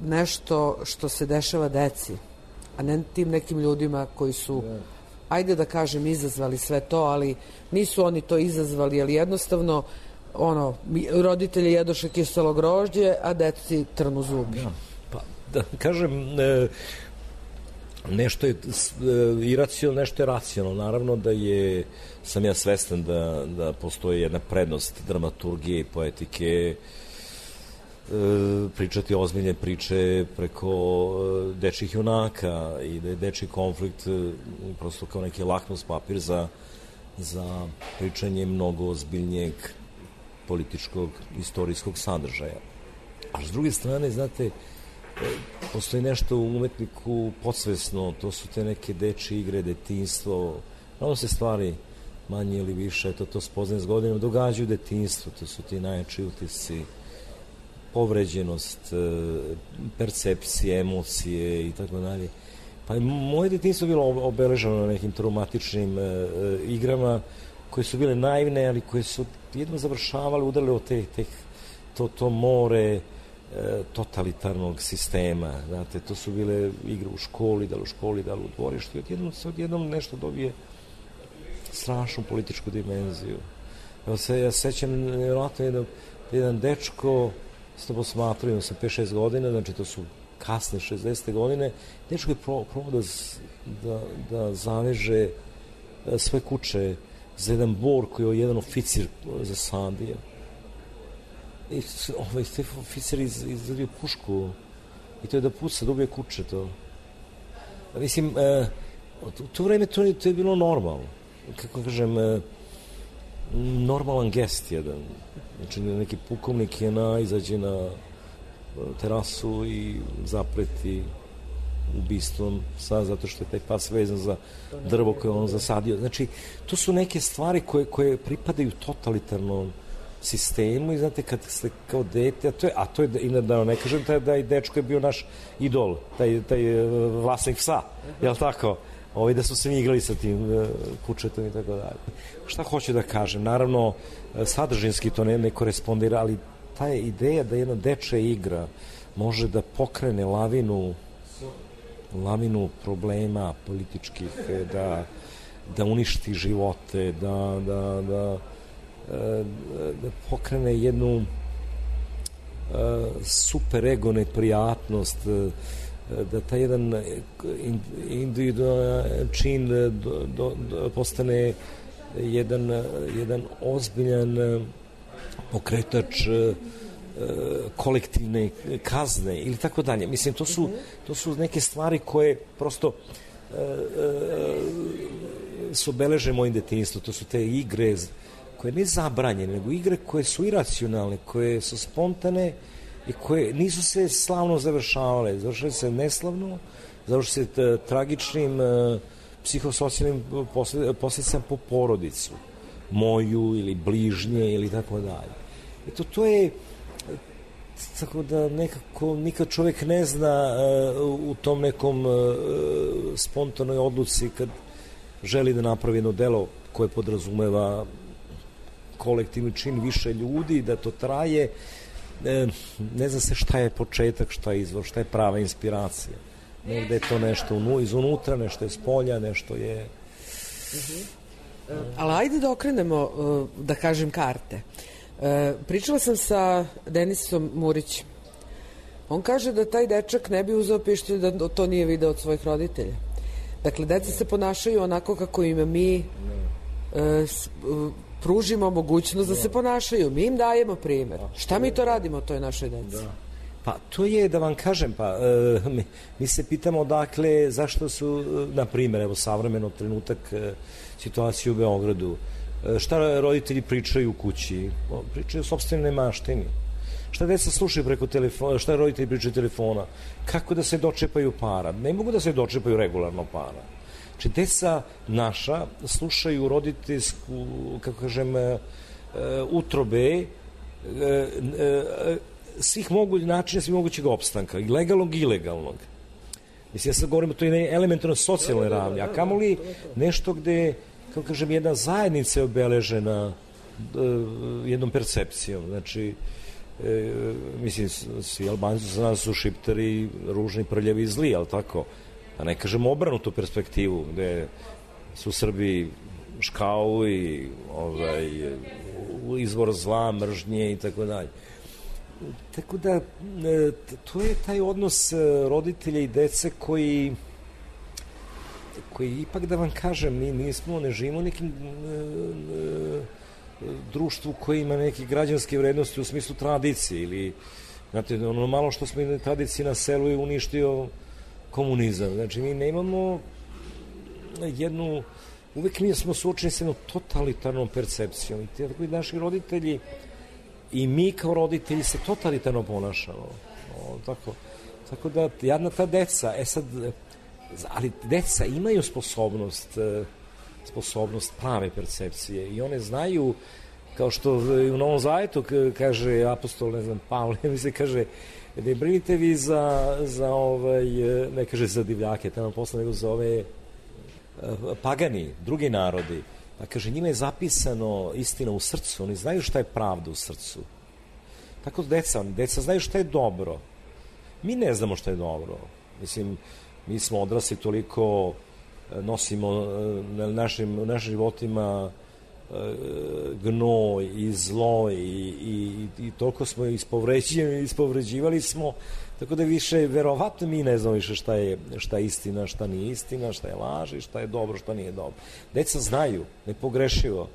nešto što se dešava deci, a ne tim nekim ljudima koji su, ajde da kažem, izazvali sve to, ali nisu oni to izazvali, ali jednostavno ono, roditelji jedoše kiselo grožđe, a deci trnu zubi. Da, pa da kažem, e, nešto je iracionalno, nešto je racionalno. Naravno da je, sam ja svestan da, da postoji jedna prednost dramaturgije i poetike, e, pričati ozbiljne priče preko dečjih junaka i da je dečji konflikt prosto kao neki lakmus papir za, za pričanje mnogo ozbiljnijeg političkog, istorijskog sadržaja. A s druge strane, znate, postoji nešto u umetniku podsvesno, to su te neke dečje igre, detinjstvo, ono se stvari manje ili više, to, to spoznaje s godinom, događaju u detinjstvu, to su ti najjači utisci, povređenost, percepcije, emocije i tako dalje. Pa moje detinjstvo je bilo obeleženo na nekim traumatičnim e, igrama koje su bile naivne, ali koje su jedno završavale, udarale od te, te, to, to more totalitarnog sistema, znate, to su bile igre u školi, da li u školi, da li u dvorištu, odjednom se odjednom nešto dobije strašnu političku dimenziju. Evo se, ja sećam, vjerojatno jedan, jedan dečko, s to posmatrujem sa pet šest godina, znači to su kasne šezdesete godine, dečko je probao da, da, da zaveže sve kuće za jedan bor koji je jedan oficir zasadio. I ovaj oficir iz, izradio pušku i to je da puca, da ubije kuće to. Mislim, e, u to vreme to, to je bilo normalno. Kako kažem, e, normalan gest jedan. Znači, neki pukovnik je na, izađe na terasu i zapreti ubistvom sa, zato što je taj pas vezan za drvo koje on zasadio. Znači, to su neke stvari koje, koje pripadaju totalitarnom sistemu i znate kad ste kao dete, a to je, a to je i da ne kažem taj, da i dečko je bio naš idol, taj, taj vlasnik psa, je li tako? Ovi da su se mi igrali sa tim uh, kučetom i tako dalje. Šta hoću da kažem? Naravno, sadržinski to ne, ne korespondira, ali ta je ideja da jedna dečja igra može da pokrene lavinu lavinu problema političkih, da, da uništi živote, da, da, da da pokrene jednu super ego neprijatnost, da taj jedan individualan čin do, do, do, postane jedan, jedan ozbiljan pokretač kolektivne kazne ili tako dalje. Mislim, to su, to su neke stvari koje prosto e, e, su obeleže mojim detinjstvom. To su te igre koje ne zabranjene, nego igre koje su iracionalne, koje su spontane i koje nisu se slavno završavale. Završile se neslavno, završile se tragičnim e, psihosocijalnim posljedicama po porodicu, moju ili bližnje ili tako dalje. Eto, to je tako da nekako nikad čovjek ne zna uh, u tom nekom uh, spontanoj odluci kad želi da napravi jedno delo koje podrazumeva kolektivni čin više ljudi, da to traje, e, ne zna se šta je početak, šta je izvor, šta je prava inspiracija. Negde je to nešto izunutra, nešto je s polja, nešto je... Uh-huh. Uh, ali ajde da okrenemo, uh, da kažem, karte. Uh, pričala sam sa Denisom Murićem. On kaže da taj dečak ne bi uzeo pištolj da to nije video od svojih roditelja. Dakle, deca se ponašaju onako kako im mi uh, s, uh, pružimo mogućnost da se ponašaju. Mi im dajemo primjer. Šta mi to radimo toj našoj deci? Da. Pa to je, da vam kažem, pa uh, mi, mi se pitamo dakle zašto su, na primjer, evo savremeno trenutak uh, situacije u Beogradu, uh, šta roditelji pričaju u kući, pričaju o sopstvenoj maštini, šta deca slušaju preko telefona, šta roditelji pričaju telefona, kako da se dočepaju para, ne mogu da se dočepaju regularno para. Znači, deca naša slušaju roditeljsku, kako kažem, uh, utrobe, uh, uh, svih mogućih načina, svih mogućeg opstanka, i legalnog i ilegalnog. Mislim, ja sad govorim o toj elementarno socijalnoj ravni, a kamoli nešto gde, kako kažem, jedna zajednica je obeležena uh, jednom percepcijom. Znači, uh, mislim, svi Albanci za nas su šiptari, ružni, prljavi i zli, ali tako? A ne kažem obrnutu perspektivu, gde su Srbi škao i ovaj, izvor zla, mržnje i tako dalje. Tako da, to je taj odnos roditelja i dece koji, koji ipak, da vam kažem, mi nismo, ne živimo u nekim društvu koji ima neke građanske vrednosti u smislu tradicije ili, znate, ono malo što smo imali tradicije na selu je uništio komunizam. Znači, mi nemamo jednu, uvek mi smo suočeni s jednom totalitarnom percepcijom i tako i naši roditelji i mi kao roditelji se totalitarno ponašamo. O, tako, tako da, jedna ta deca, e sad, ali deca imaju sposobnost, sposobnost prave percepcije i one znaju, kao što u Novom Zavetu kaže apostol, ne znam, Pavle, mi se kaže, ne brinite vi za, za ovaj, ne kaže za divljake, tamo posle nego za ove pagani, drugi narodi. Pa kaže, njima je zapisano istina u srcu, oni znaju šta je pravda u srcu. Tako da deca, deca znaju šta je dobro. Mi ne znamo šta je dobro. Mislim, mi smo odrasli toliko, nosimo na našim, u našim životima gnoj i zlo i, i, i toliko smo ispovređivali, ispovređivali smo, tako da više verovatno mi ne znamo više šta je, šta je istina, šta nije istina, šta je laž i šta je dobro, šta nije dobro. Deca znaju, nepogrešivo.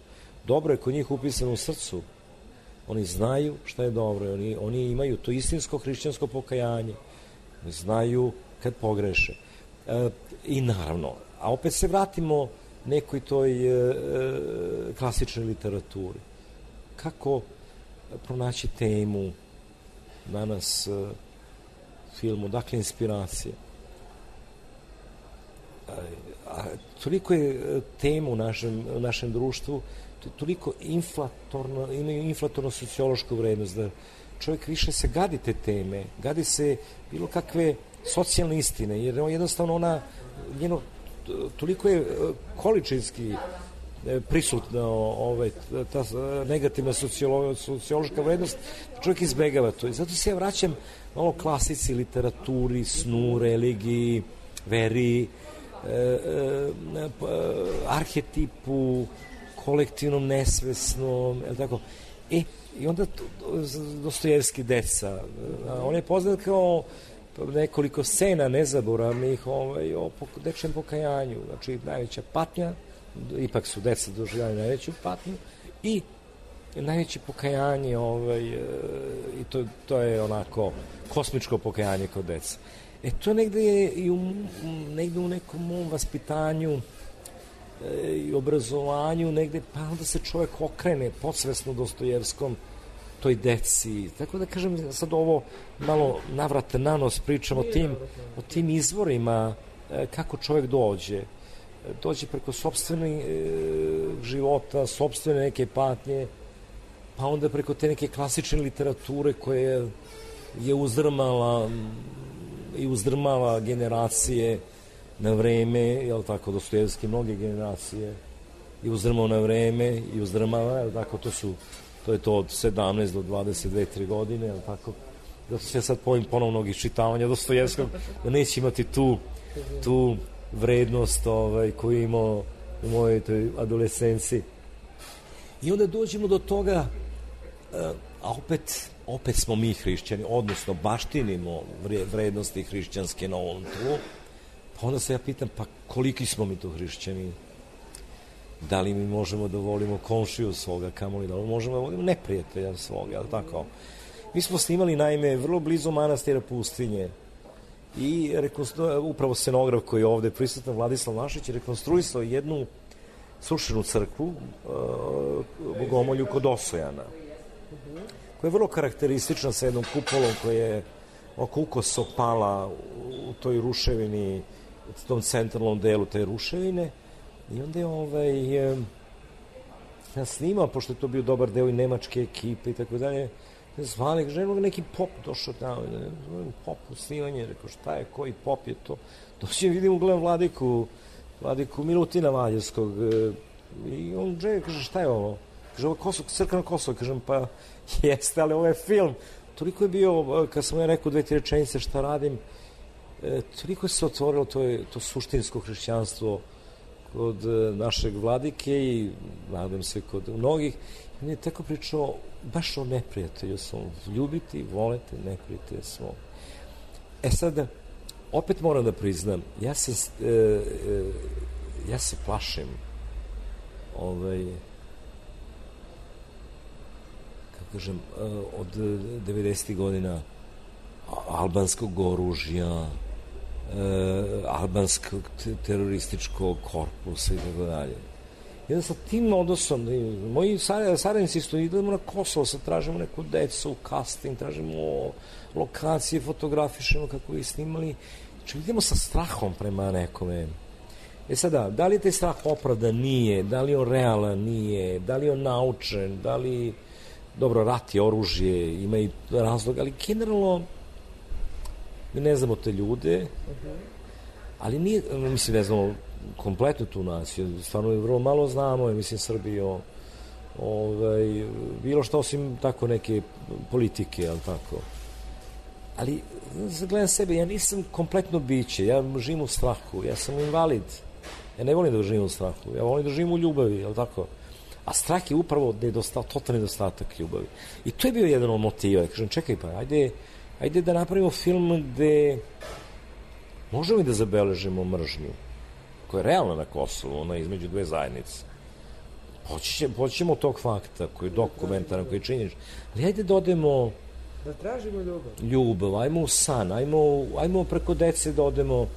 Dobro je kod njih upisano u srcu. Oni znaju šta je dobro. Oni, oni imaju to istinsko hrišćansko pokajanje. Znaju kad pogreše. E, I naravno, a opet se vratimo nekoj toj e, klasičnoj literaturi. Kako pronaći temu danas e, filmu, dakle inspiracije. A, a toliko je tema u našem, u našem društvu, toliko inflatorno, imaju inflatorno sociološku vrednost, da čovjek više se gadi te teme, gadi se bilo kakve socijalne istine, jer jednostavno ona, njeno, toliko je količinski prisutna ovaj, ta negativna sociolo, sociološka vrednost, čovjek izbegava to. I zato se ja vraćam malo klasici, literaturi, snu, religiji, veri, e, e, arhetipu, kolektivnom, nesvesnom, je tako? E, i onda Dostojevski deca, on je poznat kao nekoliko scena nezaboravnih ovaj, o dečjem pokajanju, znači najveća patnja, ipak su deca doživljali najveću patnju i najveće pokajanje ovaj, i to, to je onako kosmičko pokajanje kod deca. E to negde je i u, negde u nekom mom vaspitanju e, i obrazovanju negde, pa onda se čovjek okrene podsvesno Dostojevskom toj deci. Tako da kažem, sad ovo malo navrate na nos pričam o tim, o tim izvorima e, kako čovjek dođe. Dođe preko sopstvenih e, života, sopstvene neke patnje, pa onda preko te neke klasične literature koje je uzdrmala i uzdrmala generacije na vreme, jel tako, Dostojevski mnoge generacije i uzdrmao na vreme i uzdrmava, jel tako, to su to je to od sedamnaest do dvadeset dve tri godine, jel tako, da se ja sad povim ponovnog iščitavanja Dostojevskog, da neće imati tu tu vrednost ovaj, koju imao u mojoj toj adolescenciji. I onda dođemo do toga, a opet, opet smo mi hrišćani, odnosno baštinimo vrednosti hrišćanske na ovom tlu, pa onda se ja pitam, pa koliki smo mi to hrišćani? Da li mi možemo da volimo komšiju svoga, kamoli da li možemo da volimo neprijatelja svoga, ali tako? Mi smo snimali, naime, vrlo blizu manastira Pustinje, i upravo scenograf koji je ovde prisutan, Vladislav Našić, je rekonstruisao jednu srušenu crkvu uh, Bogomolju kod Osojana, koja je vrlo karakteristična sa jednom kupolom koja je oko ukoso pala u toj ruševini, u tom centralnom delu te ruševine, i onda je ovaj, ja snimao, pošto je to bio dobar deo i nemačke ekipe i tako dalje, zvali, ženu neki pop došao tamo, pop u snimanje, rekao šta je, koji pop je to, dođem, vidim, gledam Vladiku, Vladiku Milutina Valjevskog, i on džeje, kaže, šta je ovo? Kaže, ovo je Kosovo, crkveno Kosovo, kažem, pa jeste, ali ovo je film. Toliko je bio, kad sam ja rekao dve, tri rečenice šta radim, toliko se otvorilo to, je, to suštinsko hrišćanstvo kod našeg Vladike i nadam se kod mnogih. On je tako pričao baš o neprijatelju svom. Ljubiti, volete, neprijatelju svom. E sad, opet moram da priznam, ja se, e, e, ja se plašim ovaj, kako kažem, od devedesetih godina albanskog oružja, e, albanskog terorističkog korpusa i tako dalje. Jedan sa tim odnosom, moji saradnici su, idemo na Kosovo, sad tražimo neku decu, casting, tražimo lokacije, fotografišemo kako bi snimali. Znači, idemo sa strahom prema nekome. E sada, da li je taj strah opravdan? Nije. Da li je on realan? Nije. Da li je on naučen? Da li, dobro, rat je oružje, ima i razlog, ali generalno mi ne znamo te ljude, ali nije, mislim, ne znamo kompletno tu naciju, stvarno je vrlo malo znamo, mislim, Srbijo, ovaj, bilo što osim tako neke politike, ali tako. Ali, gledam sebe, ja nisam kompletno biće, ja živim u strahu, ja sam invalid, ja ne volim da živim u strahu, ja volim da živim u ljubavi, ali tako. A strah je upravo nedostatak, totalni nedostatak ljubavi. I to je bio jedan od motiva. Kažem, čekaj pa, ajde, ajde da napravimo film gde možemo i da zabeležimo mržnju, koja je realna na Kosovu, ona između dve zajednice. Poćemo od tog fakta, koji je dokumentaran, koji je činjenič. Ali ajde da odemo... Da tražimo ljubav. Ljubav, ajmo u san, ajmo, ajmo preko dece da odemo,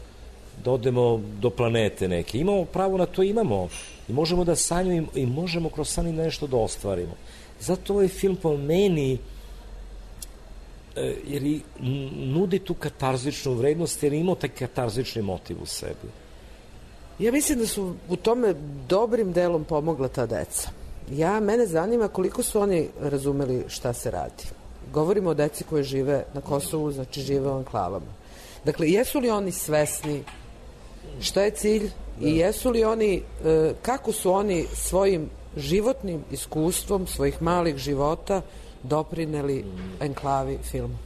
da odemo do planete neke. Imamo pravo na to, imamo. I možemo da sanjamo i možemo kroz san nešto da ostvarimo. Zato ovaj film po meni jer i nudi tu katarzičnu vrednost, jer imao taj katarzični motiv u sebi. Ja mislim da su u tome dobrim delom pomogla ta deca. Ja, mene zanima koliko su oni razumeli šta se radi. Govorimo o deci koje žive na Kosovu, znači žive u enklavama. Dakle, jesu li oni svesni šta je cilj i jesu li oni, kako su oni svojim životnim iskustvom, svojih malih života doprineli enklavi filmu?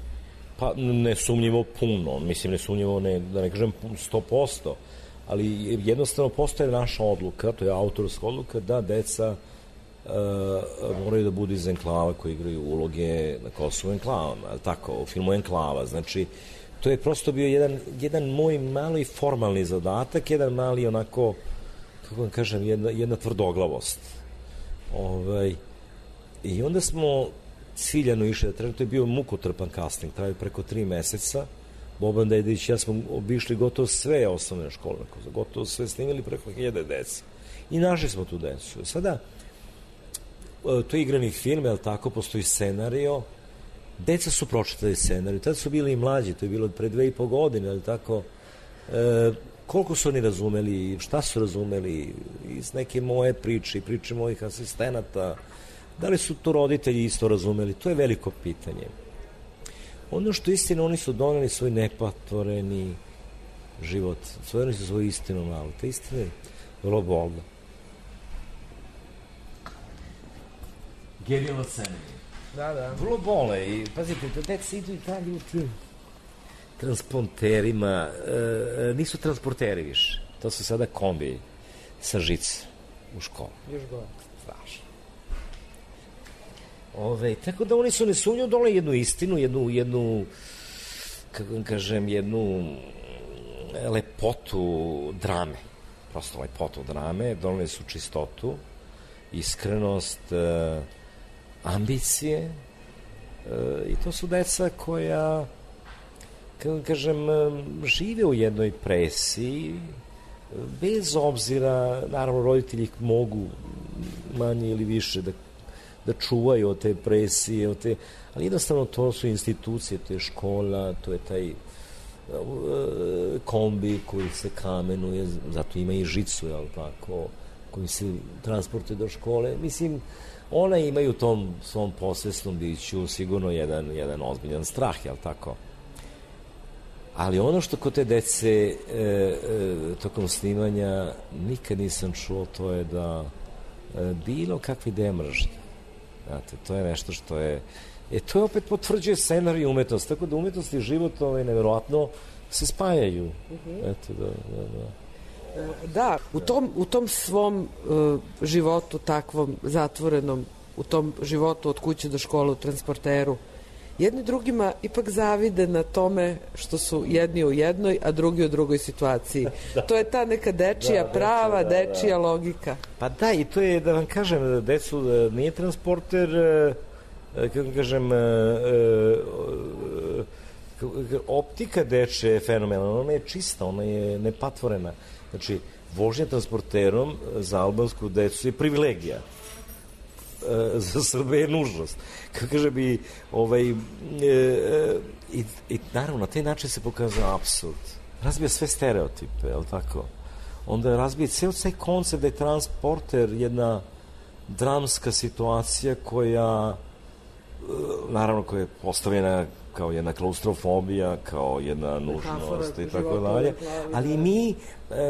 Pa ne sumnjivo puno, mislim ne sumnjivo, ne, da ne kažem sto posto, ali jednostavno postoje naša odluka, to je autorska odluka, da deca uh, moraju da budu iz enklava koji igraju uloge na Kosovu enklavama, ali tako, u filmu Enklava, znači to je prosto bio jedan, jedan moj mali formalni zadatak, jedan mali onako, kako vam kažem, jedna, jedna tvrdoglavost. Ovaj, I onda smo ciljano išli, da to je bio mukotrpan casting, traju preko tri meseca. Boban Dedić i ja smo obišli gotovo sve osnovne škole, gotovo sve snimili preko hiljade dece. I našli smo tu decu. Sada, to je igrani film, je li tako, postoji scenario, deca su pročitali scenariju, tada su bili i mlađi, to je bilo pre dve i po godine, je li tako, e, koliko su oni razumeli, šta su razumeli iz neke moje priče, priče mojih asistenata, da li su to roditelji isto razumeli, to je veliko pitanje. Ono što istina, oni su doneli svoj nepatvoreni život, svojili su svoju istinu malo, ta istina je vrlo bolna. Genijalno scenarij. Da, da. Vrlo bole i, pazite, da deca idu i dalje u tim transporterima, e, nisu transporteri više, to su sada kombi sa žice u školu. Još gore. Strašno. Ove, tako da oni su nesumnjivo doneli jednu istinu, jednu, jednu, kako vam kažem, jednu lepotu drame, prosto lepotu drame, doneli su čistotu, iskrenost, e, ambicije, e, i to su deca koja, kako vam kažem, žive u jednoj presiji, bez obzira, naravno roditelji mogu manje ili više da da čuvaju od te presije, od te, ali jednostavno to su institucije, to je škola, to je taj uh, kombi koji se kamenuje, zato ima i žicu, jel tako, koji se transportuje do škole. Mislim, ona imaju u tom svom posvesnom biću sigurno jedan, jedan ozbiljan strah, jel tako? Ali ono što kod te dece e, e, tokom snimanja nikad nisam čuo, to je da e, bilo kakve ideje mržnje. Znate, to je nešto što je... E, to je opet potvrđuje scenarij umetnost, tako da umetnost i život ovaj, nevjerovatno se spajaju. Uh-huh. Eto, da, da, da. Da, u tom, u tom svom uh, životu takvom zatvorenom, u tom životu od kuće do škole u transporteru, jedni drugima ipak zavide na tome što su jedni u jednoj, a drugi u drugoj situaciji. Da. To je ta neka dečija, da, prava da, dečija da. logika. Pa da, i to je, da vam kažem, decu nije transporter, kako kažem, optika deče je fenomenalna, ona je čista, ona je nepatvorena. Znači, vožnja transporterom za albansku decu je privilegija. Za Srbe je nužnost. Kako kaže bi, ovaj, e, i, i naravno, na taj način se pokazuje apsurd. Razbija sve stereotipe, je li tako? Onda razbija ceo taj koncept da je transporter jedna dramska situacija koja, naravno, koja je postavljena kao jedna klaustrofobija, kao jedna nužnost i tako dalje. Ali mi,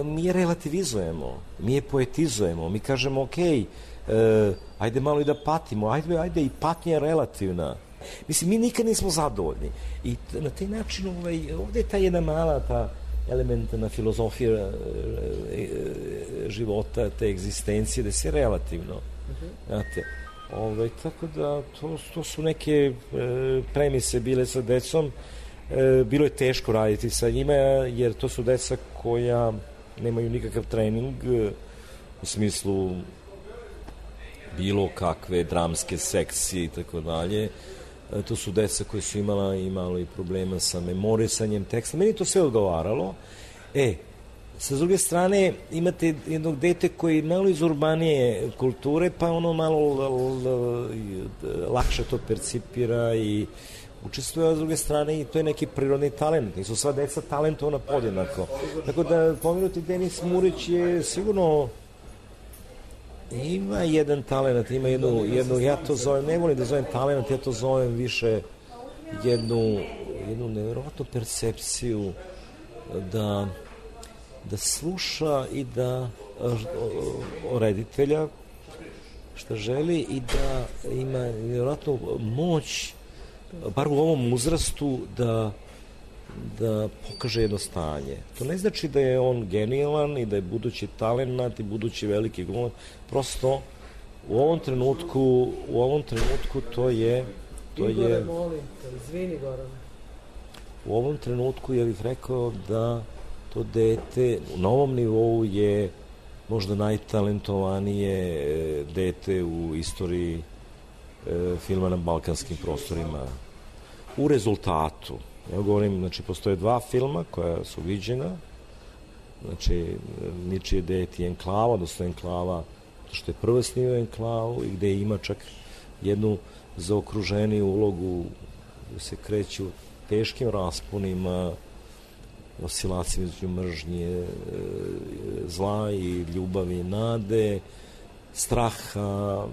mi je relativizujemo, mi je poetizujemo, mi kažemo, okej, E, ajde malo i da patimo, ajde, ajde i patnja je relativna. Mislim, mi nikad nismo zadovoljni. I t- na taj način ovaj, ovde je ta jedna mala ta elementarna filozofija e, e, života, te egzistencije, da je sve relativno. Uh-huh. Znate, ovaj, tako da to, to su neke e, premise bile sa decom. E, bilo je teško raditi sa njima, jer to su deca koja nemaju nikakav trening e, u smislu bilo kakve dramske sekcije i tako dalje. To su deca koje su imala, imala i problema sa memorisanjem teksta. Meni to sve odgovaralo. E, sa druge strane, imate jednog dete koji malo iz urbanije kulture, pa ono malo l, l, l, lakše to percipira i učestvuje, a s druge strane i to je neki prirodni talent. Nisu sva deca talentovana podjednako. Tako da, pomenuti Denis Murić je sigurno ima jedan talent, ima jednu, jednu, ja to zovem, ne volim da zovem talent, ja to zovem više jednu, jednu nevjerojatnu percepciju da, da sluša i da o reditelja šta želi i da ima nevjerojatnu moć, bar u ovom uzrastu, da da pokaže jedno stanje. To ne znači da je on genijalan i da je budući talent i budući veliki glumac. Prosto u ovom trenutku u ovom trenutku to je to Igore, je molim te, izvini Gorane. U ovom trenutku ja bih rekao da to dete na ovom nivou je možda najtalentovanije dete u istoriji filma na balkanskim prostorima. U rezultatu, ja govorim, znači, postoje dva filma koja su viđena, znači, Ničije dete i Enklava, odnosno Enklava, što je prvo snimio Enklavu i gde ima čak jednu zaokruženiju ulogu, gde se kreću teškim rasponima, oscilacijama između mržnje, zla i ljubavi i nade, straha,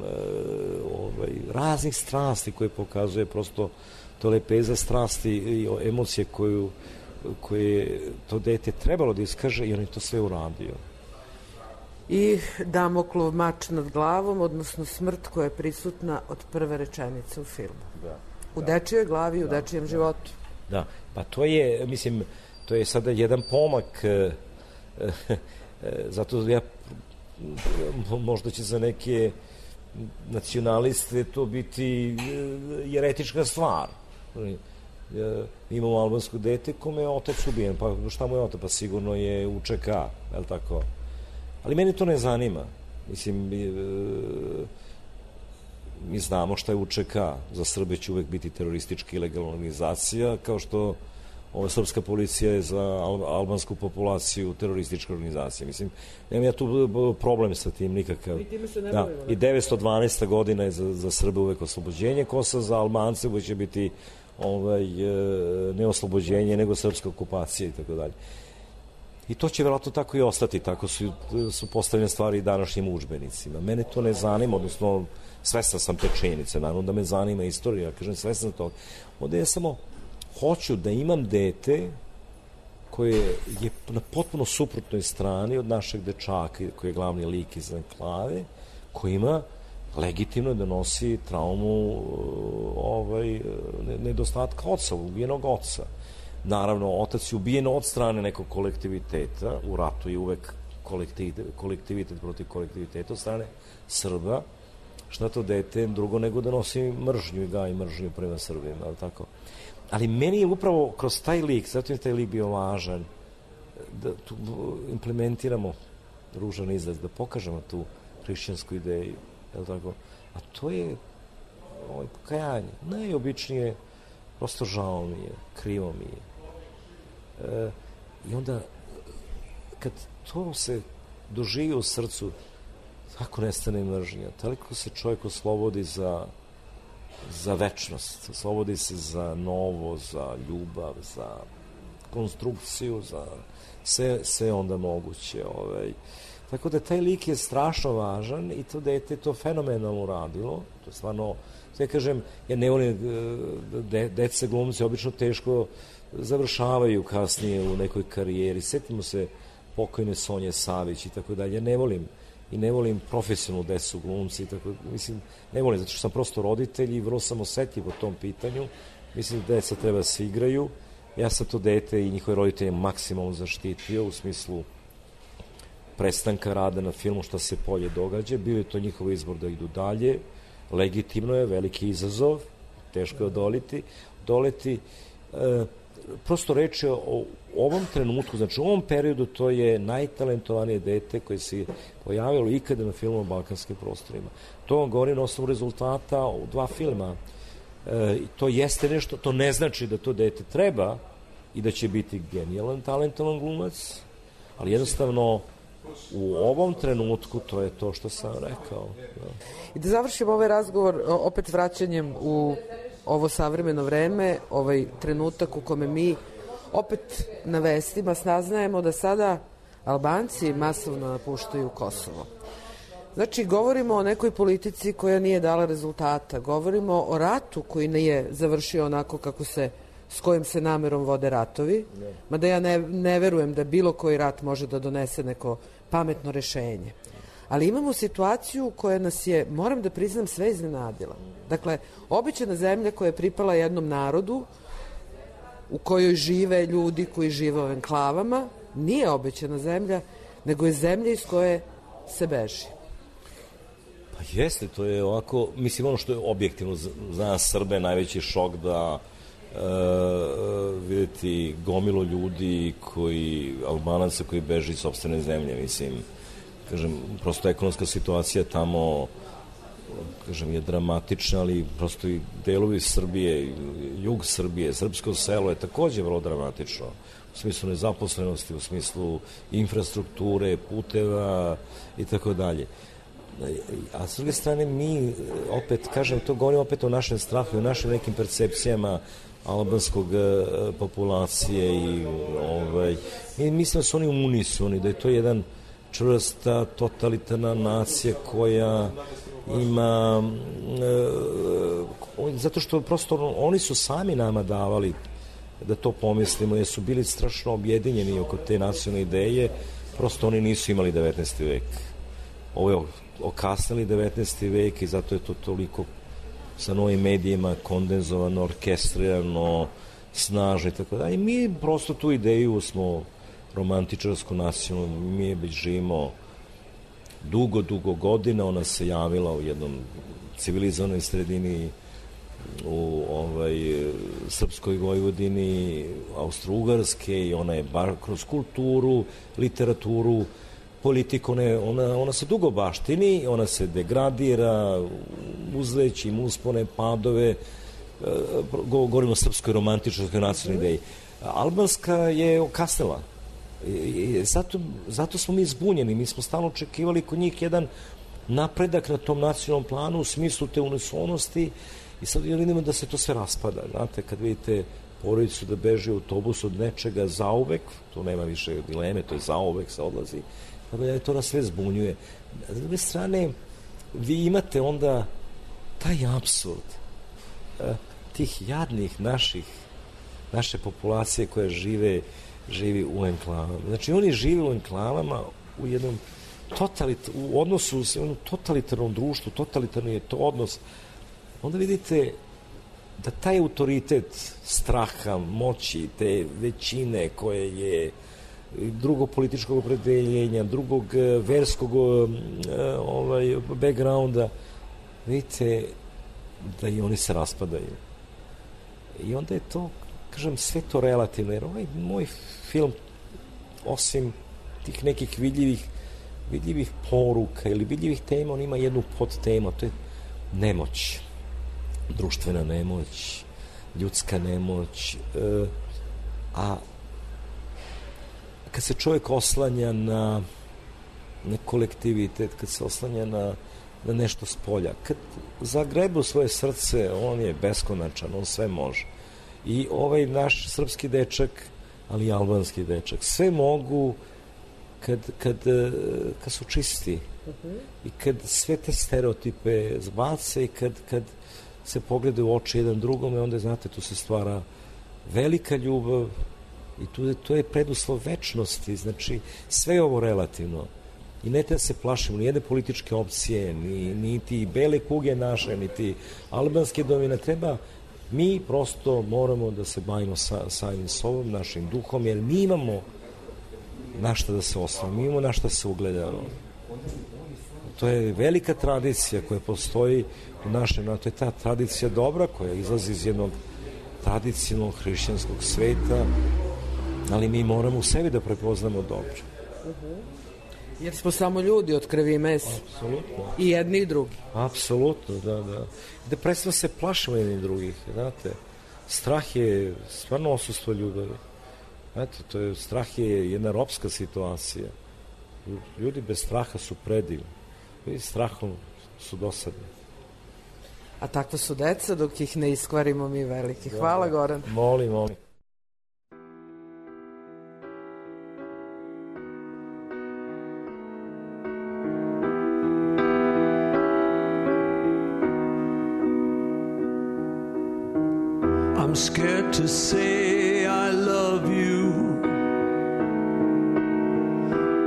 ovaj, raznih strasti koje pokazuje prosto to lepeza strasti i emocije koju, koje to dete trebalo da iskaže i on je to sve uradio. I Damoklov mač nad glavom, odnosno smrt koja je prisutna od prve rečenice u filmu. Da. U da. dečijoj glavi, u da. dečijem da. životu. Da, pa to je, mislim, to je sada jedan pomak, e, e, zato ja, možda će za neke nacionaliste to biti jeretička stvar. Imamo albansko dete kome je otac ubijen, pa šta mu je otac? Pa sigurno je U Č K, je li tako? Ali mene to ne zanima. Mislim, mi znamo šta je U Č K. Za Srbe će uvek biti teroristička ilegalna organizacija, kao što ova srpska policija je za albansku populaciju teroristička organizacija. Mislim, nemam ja tu problem sa tim nikakav. Da, i devetsto dvanaesta godina je za, za Srbe uvek oslobođenje Kosova, za Albance uvek će biti ovaj, ne oslobođenje, nego srpska okupacija i tako dalje. I to će vjerojatno tako i ostati, tako su, su postavljene stvari i današnjim udžbenicima. Mene to ne zanima, odnosno svestan sam te činjenice, naravno da me zanima istorija, kažem svestan toga. Onda ja samo hoću da imam dete koje je na potpuno suprotnoj strani od našeg dečaka, koji je glavni lik iz Enklave, koji ima legitimno da nosi traumu ovaj, nedostatka oca, ubijenog oca. Naravno, otac je ubijen od strane nekog kolektiviteta, u ratu je uvek kolektivitet, kolektivitet protiv kolektiviteta od strane Srba, šta to dete drugo nego da nosi mržnju i gaji mržnju prema Srbima, ali tako. Ali meni je upravo kroz taj lik, zato je taj lik bio važan, da tu implementiramo ružan izraz, da pokažemo tu hrišćansku ideju, je tako? A to je ovaj, pokajanje. Najobičnije, prosto žao mi je, krivo mi je. E, I onda, kad to se doživi u srcu, tako nestane mržnja, toliko se čovjek oslobodi za, za večnost, oslobodi se za novo, za ljubav, za konstrukciju, za sve, sve onda moguće. Ovaj. Tako da taj lik je strašno važan i to dete to fenomenalno radilo, to je stvarno, sve kažem, ja ne volim, de, deca glumci obično teško završavaju kasnije u nekoj karijeri. Sjetimo se pokojne Sonje Savić i tako dalje. Ja ne volim i ne volim profesionalnu decu glumci i tako, mislim, ne volim, zato što sam prosto roditelj i vrlo sam osetljiv o tom pitanju. Mislim da deca treba da se igraju. Ja sam to dete i njihove roditelje maksimalno zaštitio u smislu prestanka rada na filmu, šta se polje događa. Bio je to njihov izbor da idu dalje. Legitimno je, veliki izazov, teško je odoliti, doleti. E, prosto reč je o ovom trenutku, znači u ovom periodu to je najtalentovanije dete koje se pojavilo ikada na filmu o balkanskim prostorima. To vam govori na osnovu rezultata u dva filma. E, to jeste nešto, to ne znači da to dete treba i da će biti genijalan, talentovan glumac, ali jednostavno u ovom trenutku to je to što sam rekao. Da. I da završimo ovaj razgovor opet vraćanjem u ovo savremeno vreme, ovaj trenutak u kome mi opet na vestima saznajemo da sada Albanci masovno napuštaju Kosovo. Znači, govorimo o nekoj politici koja nije dala rezultata, govorimo o ratu koji nije završio onako kako se, s kojim se namerom vode ratovi, mada ja ne, ne verujem da bilo koji rat može da donese neko pametno rešenje. Ali imamo situaciju koja nas je, moram da priznam, sve iznenadila. Dakle, obična zemlja koja je pripala jednom narodu, u kojoj žive ljudi koji žive u enklavama, nije obećana zemlja, nego je zemlja iz koje se beži. Pa jeste, to je ovako, mislim, ono što je objektivno za nas Srbe najveći šok da e, vidjeti gomilo ljudi koji, Albanaca koji beži iz sopstvene zemlje, mislim, kažem, prosto ekonomska situacija tamo kažem, je dramatična, ali prosto i delovi Srbije, jug Srbije, srpsko selo je takođe vrlo dramatično. U smislu nezaposlenosti, u smislu infrastrukture, puteva i tako dalje. A s druge strane mi, opet, kažem, to govorimo opet o našem strahu i o našim nekim percepcijama albanskog populacije i ovaj, mi mislimo da su oni unisoni, da je to jedan čvrsta, totalitarna nacija koja ima e, zato što prosto oni su sami nama davali da to pomislimo, jer su bili strašno objedinjeni oko te nacionalne ideje, prosto oni nisu imali devetnaesti vek. Ovo je okasnili devetnaesti vek i zato je to toliko sa novim medijima kondenzovano, orkestrirano, snažno i tako da. I mi prosto tu ideju smo romantičarsku nacionalnu, mi je već živimo dugo, dugo godina, ona se javila u jednom civilizovanoj sredini u ovaj, Srpskoj Vojvodini, Austro-Ugarske i ona je bar kroz kulturu, literaturu, politiku, ona, ona, ona se dugo baštini, ona se degradira, uzleći, uspone, padove, govorimo o srpskoj romantičarskoj nacionalnoj ideji. Albanska je okasnila. I zato, zato smo mi zbunjeni, mi smo stalno očekivali kod njih jedan napredak na tom nacionalnom planu u smislu te unisonosti i sad vidimo da se to sve raspada. Znate, kad vidite porodicu da beži u autobus od nečega zauvek, to nema više dileme, to je zauvek, se odlazi, tako da to nas sve zbunjuje. S druge strane, vi imate onda taj apsurd tih jadnih naših, naše populacije koje žive živi u enklavama. Znači, oni žive u enklavama u jednom totalit, u odnosu u jednom totalitarnom društvu, totalitarni je to odnos. Onda vidite da taj autoritet straha, moći, te većine koje je drugog političkog opredeljenja, drugog verskog ovaj, backgrounda, vidite da i oni se raspadaju. I onda je to, kažem, sve to relativno, jer ovaj moj film, osim tih nekih vidljivih, vidljivih poruka ili vidljivih tema, on ima jednu podtemu, to je nemoć, društvena nemoć, ljudska nemoć, e, a kad se čovjek oslanja na, na kolektivitet, kad se oslanja na, na nešto s polja, kad zagrebe u svoje srce, on je beskonačan, on sve može. I ovaj naš srpski dečak, ali i albanski dečak, sve mogu kad, kad, kad su čisti i kad sve te stereotipe zbace i kad, kad se poglede u oči jedan drugome, onda, znate, tu se stvara velika ljubav i tu, to je preduslov večnosti. Znači, sve je ovo relativno. I ne treba se plašimo ni jedne političke opcije, ni, ni ti bele kuge naše, ni ti albanske domine. Treba, mi prosto moramo da se bavimo sa, samim sobom, našim duhom, jer mi imamo na šta da se osnovimo, mi imamo na šta se ugledamo. To je velika tradicija koja postoji u našem, to je ta tradicija dobra koja izlazi iz jednog tradicionalnog hrišćanskog sveta, ali mi moramo u sebi da prepoznamo dobro. Uh-huh. Jer smo samo ljudi od krvi i mesa. Apsolutno. I jedni i drugi. Apsolutno, da, da. Da prestano se plašimo jedni drugih, znate. Strah je stvarno odsustvo ljubavi. Znate, to je, strah je jedna ropska situacija. Ljudi bez straha su predivni. Ljudi strahom su dosadni. A takva su deca dok ih ne iskvarimo mi veliki. Hvala, Goran. Molim, molim. I'm scared to say I love you,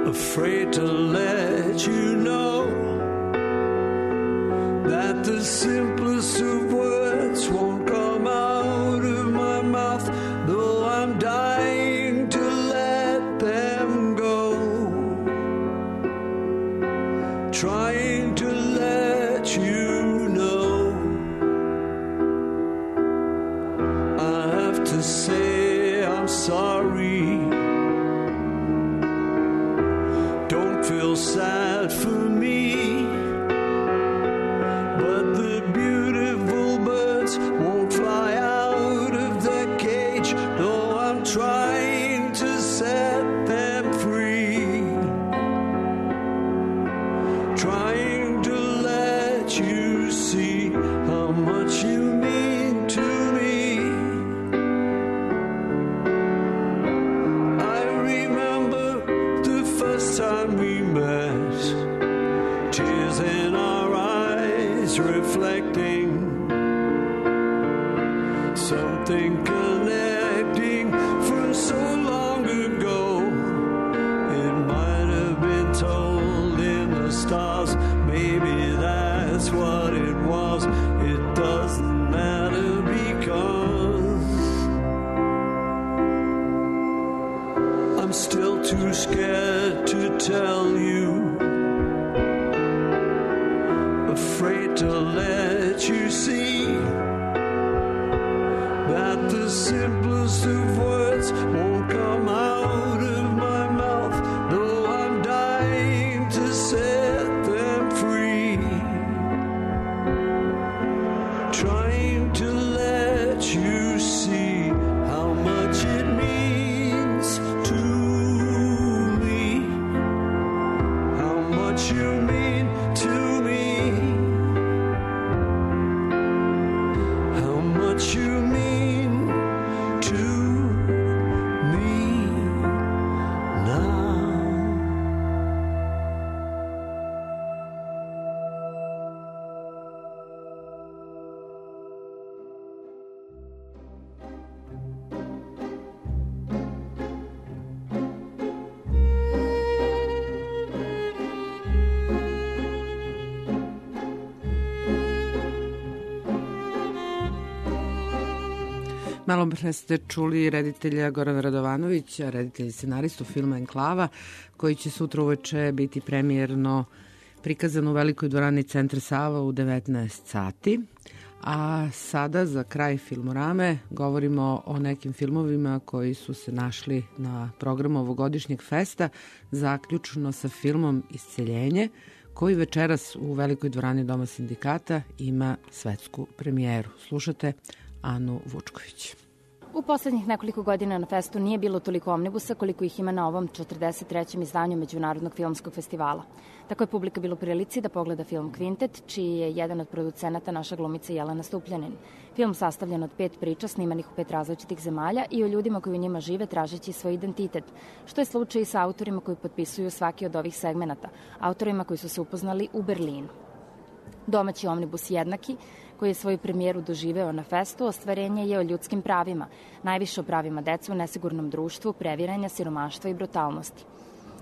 afraid to let you know that the simplest of words won't come out of my mouth, though I'm dying to let them go, trying to let you know. I have to say I'm sorry, don't feel sad for me, met, tears in our eyes reflecting something connecting from so long ago. It might have been told in the stars, maybe that's what it was. It doesn't matter because I'm still too scared to tell you, afraid to let you see that the simplest of words won't come out of my mouth, though I'm dying to set them free. Trying to let you see how much it means to me, how much you mean to me, how much you mean to me now. Malo pre ste čuli reditelja Gorana Radovanovića, reditelj i scenaristu filma Enklava, koji će sutra uveče biti premijerno prikazan u Velikoj dvorani Centra Sava u devetnaest sati. A sada za kraj Filmorame govorimo o nekim filmovima koji su se našli na programu ovogodišnjeg festa, zaključno sa filmom Isceljenje, koji večeras u Velikoj dvorani Doma sindikata ima svetsku premijeru. Slušate Anu Vučković. U poslednjih nekoliko godina na festu nije bilo toliko omnibusa koliko ih ima na ovom četrdeset trećem izdanju Međunarodnog filmskog festivala. Tako je publika bilo u prilici da pogleda film Kvintet, čiji je jedan od producenata naša glumica Jelena Stupljanin. Film sastavljen od pet priča snimanih u pet različitih zemalja i o ljudima koji u njima žive tražeći svoj identitet, što je slučaj i sa autorima koji potpisuju svaki od ovih segmenata, autorima koji su se upoznali u Berlinu. Domaći omnibus Jednaki, koji je svoju premijeru doživeo na festu, ostvarenje je o ljudskim pravima, najviše o pravima dece u nesigurnom društvu, previranja, siromaštva i brutalnosti.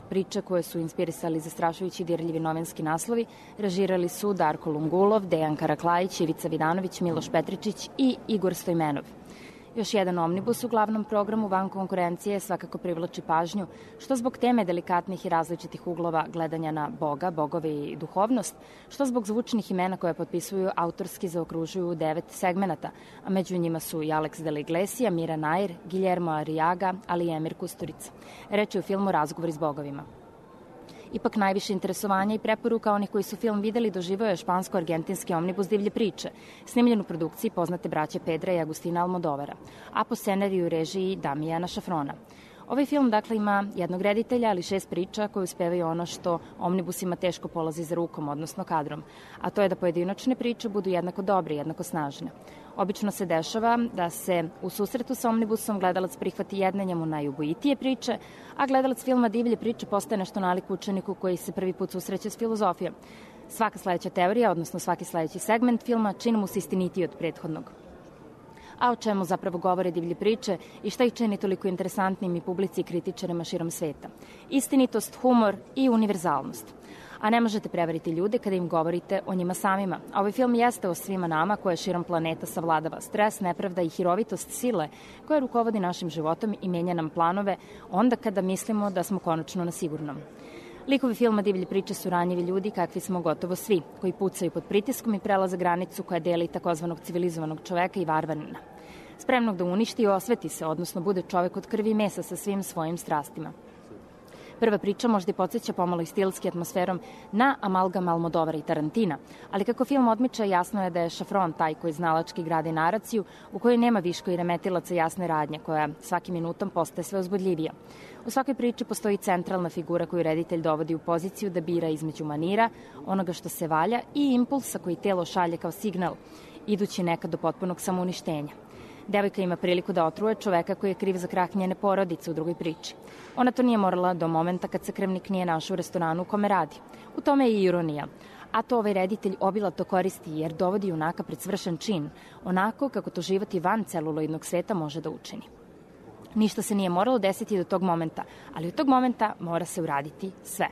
Priče koje su inspirisali zastrašujući dirljivi novinski naslovi režirali su Darko Lungulov, Dejan Karaklajić, Ivica Vidanović, Miloš Petričić i Igor Stojmenov. Još jedan omnibus u glavnom programu van konkurencije svakako privlači pažnju, što zbog teme delikatnih i različitih uglova gledanja na Boga, bogove i duhovnost, što zbog zvučnih imena koje potpisuju autorski zaokružuju devet segmenata, a među njima su i Alex de la Iglesia, Mira Nair, Guillermo Arriaga, ali i Emir Kusturica. Reč je u filmu Razgovori s bogovima. Ipak najviše interesovanja i preporuka onih koji su film videli doživao je špansko-argentinski omnibus Divlje priče, snimljen u produkciji poznate braće Pedra i Agustina Almodovara, a po scenariju i režiji Damijana Šafrona. Ovaj film dakle ima jednog reditelja, ali šest priča koje uspevaju ono što omnibusima teško polazi za rukom, odnosno kadrom, a to je da pojedinačne priče budu jednako dobre, jednako snažne. Obično se dešava da se u susretu sa omnibusom gledalac prihvati jedne njemu najubojitije priče, a gledalac filma Divlje priče postaje nešto nalik učeniku koji se prvi put susreće s filozofijom. Svaka sledeća teorija, odnosno svaki sledeći segment filma, čini mu se istinitiji od prethodnog. A o čemu zapravo govore Divlje priče i šta ih čini toliko interesantnim i publici i kritičarima širom sveta? Istinitost, humor i univerzalnost. A ne možete prevariti ljude kada im govorite o njima samima. A ovaj film jeste o svima nama koje širom planeta savladava stres, nepravda i hirovitost sile koja rukovodi našim životom i menja nam planove onda kada mislimo da smo konačno na sigurnom. Likovi filma Divlje priče su ranjivi ljudi kakvi smo gotovo svi, koji pucaju pod pritiskom i prelaze granicu koja deli takozvanog civilizovanog čoveka i varvarina. Spremnog da uništi i osveti se, odnosno bude čovek od krvi i mesa sa svim svojim strastima. Prva priča možda i podsjeća pomalo i stilski atmosferom na amalgam Almodovara i Tarantina, ali kako film odmiča, jasno je da je Šafron taj koji znalački gradi naraciju u kojoj nema viško i remetilaca jasne radnje, koja svakim minutom postaje sve uzbudljivija. U svakoj priči postoji centralna figura koju reditelj dovodi u poziciju da bira između manira, onoga što se valja i impulsa koji telo šalje kao signal, idući nekad do potpunog samouništenja. Devojka ima priliku da otruje čoveka koji je kriv za krah njene porodice u drugoj priči. Ona to nije morala do momenta kad se krvnik nije našao u restoranu u kome radi. U tome je i ironija. A to ovaj reditelj obilato koristi jer dovodi junaka pred svršen čin, onako kako to život i van celuloidnog sveta može da učini. Ništa se nije moralo desiti do tog momenta, ali od tog momenta mora se uraditi sve.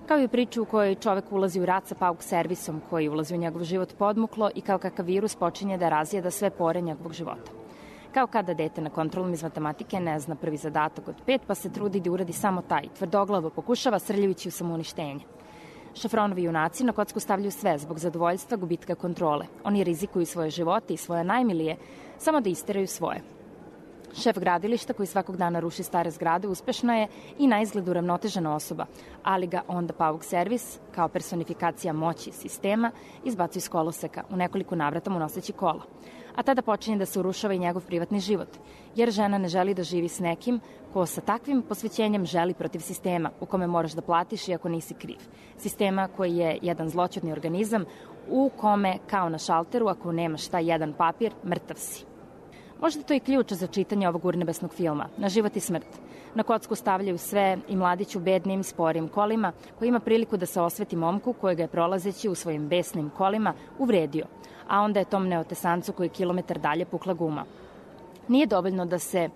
Kao i u priču u kojoj čovek ulazi u rat sa pauk servisom koji ulazi u njegov život podmuklo i kao kakav virus počinje da razjeda sve pore njegovog života. Kao kada dete na kontrolom iz matematike ne zna prvi zadatak od pet, pa se trudi da uradi samo taj, tvrdoglavo pokušava srljajući u samouništenje. Šafronovi junaci na kocku stavljaju sve zbog zadovoljstva gubitka kontrole. Oni rizikuju svoje živote i svoje najmilije samo da isteraju svoje. Šef gradilišta koji svakog dana ruši stare zgrade uspešna je i na izgled uravnotežena osoba, ali ga onda pauk servis, kao personifikacija moći sistema, izbacuje iz koloseka u nekoliko navrata mu noseći kola. A tada počinje da se urušava i njegov privatni život, jer žena ne želi da živi s nekim ko sa takvim posvećenjem želi protiv sistema u kome moraš da platiš iako nisi kriv. Sistema koji je jedan zloćudni organizam u kome, kao na šalteru, ako nemaš taj jedan papir, mrtav si. Možda to i ključ za čitanje ovog urnebesnog filma, na život i smrt. Na kocku stavljaju sve i mladić u bednim, sporim kolima, koji ima priliku da se osveti momku kojega je prolazeći u svojim besnim kolima uvredio, a onda je tom neotesancu koji je kilometar dalje pukla guma. Nije dovoljno da se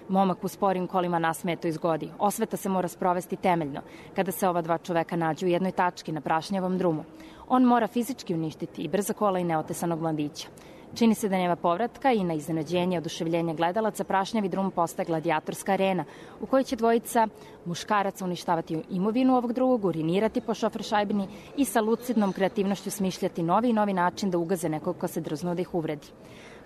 momak u sporim kolima nasmeje to izgodi. Osveta se mora sprovesti temeljno, kada se ova dva čoveka nađu u jednoj tački na prašnjavom drumu. On mora fizički uništiti i brza kola i neotesanog mladića. Čini se da nema povratka i na iznenađenje i oduševljenje gledalaca prašnjavi drum postaje gladijatorska arena u kojoj će dvojica muškaraca uništavati imovinu ovog drugog, urinirati po šoferšajbini i sa lucidnom kreativnošću smišljati novi i novi način da ugaze nekog ko se drznuo da ih uvredi.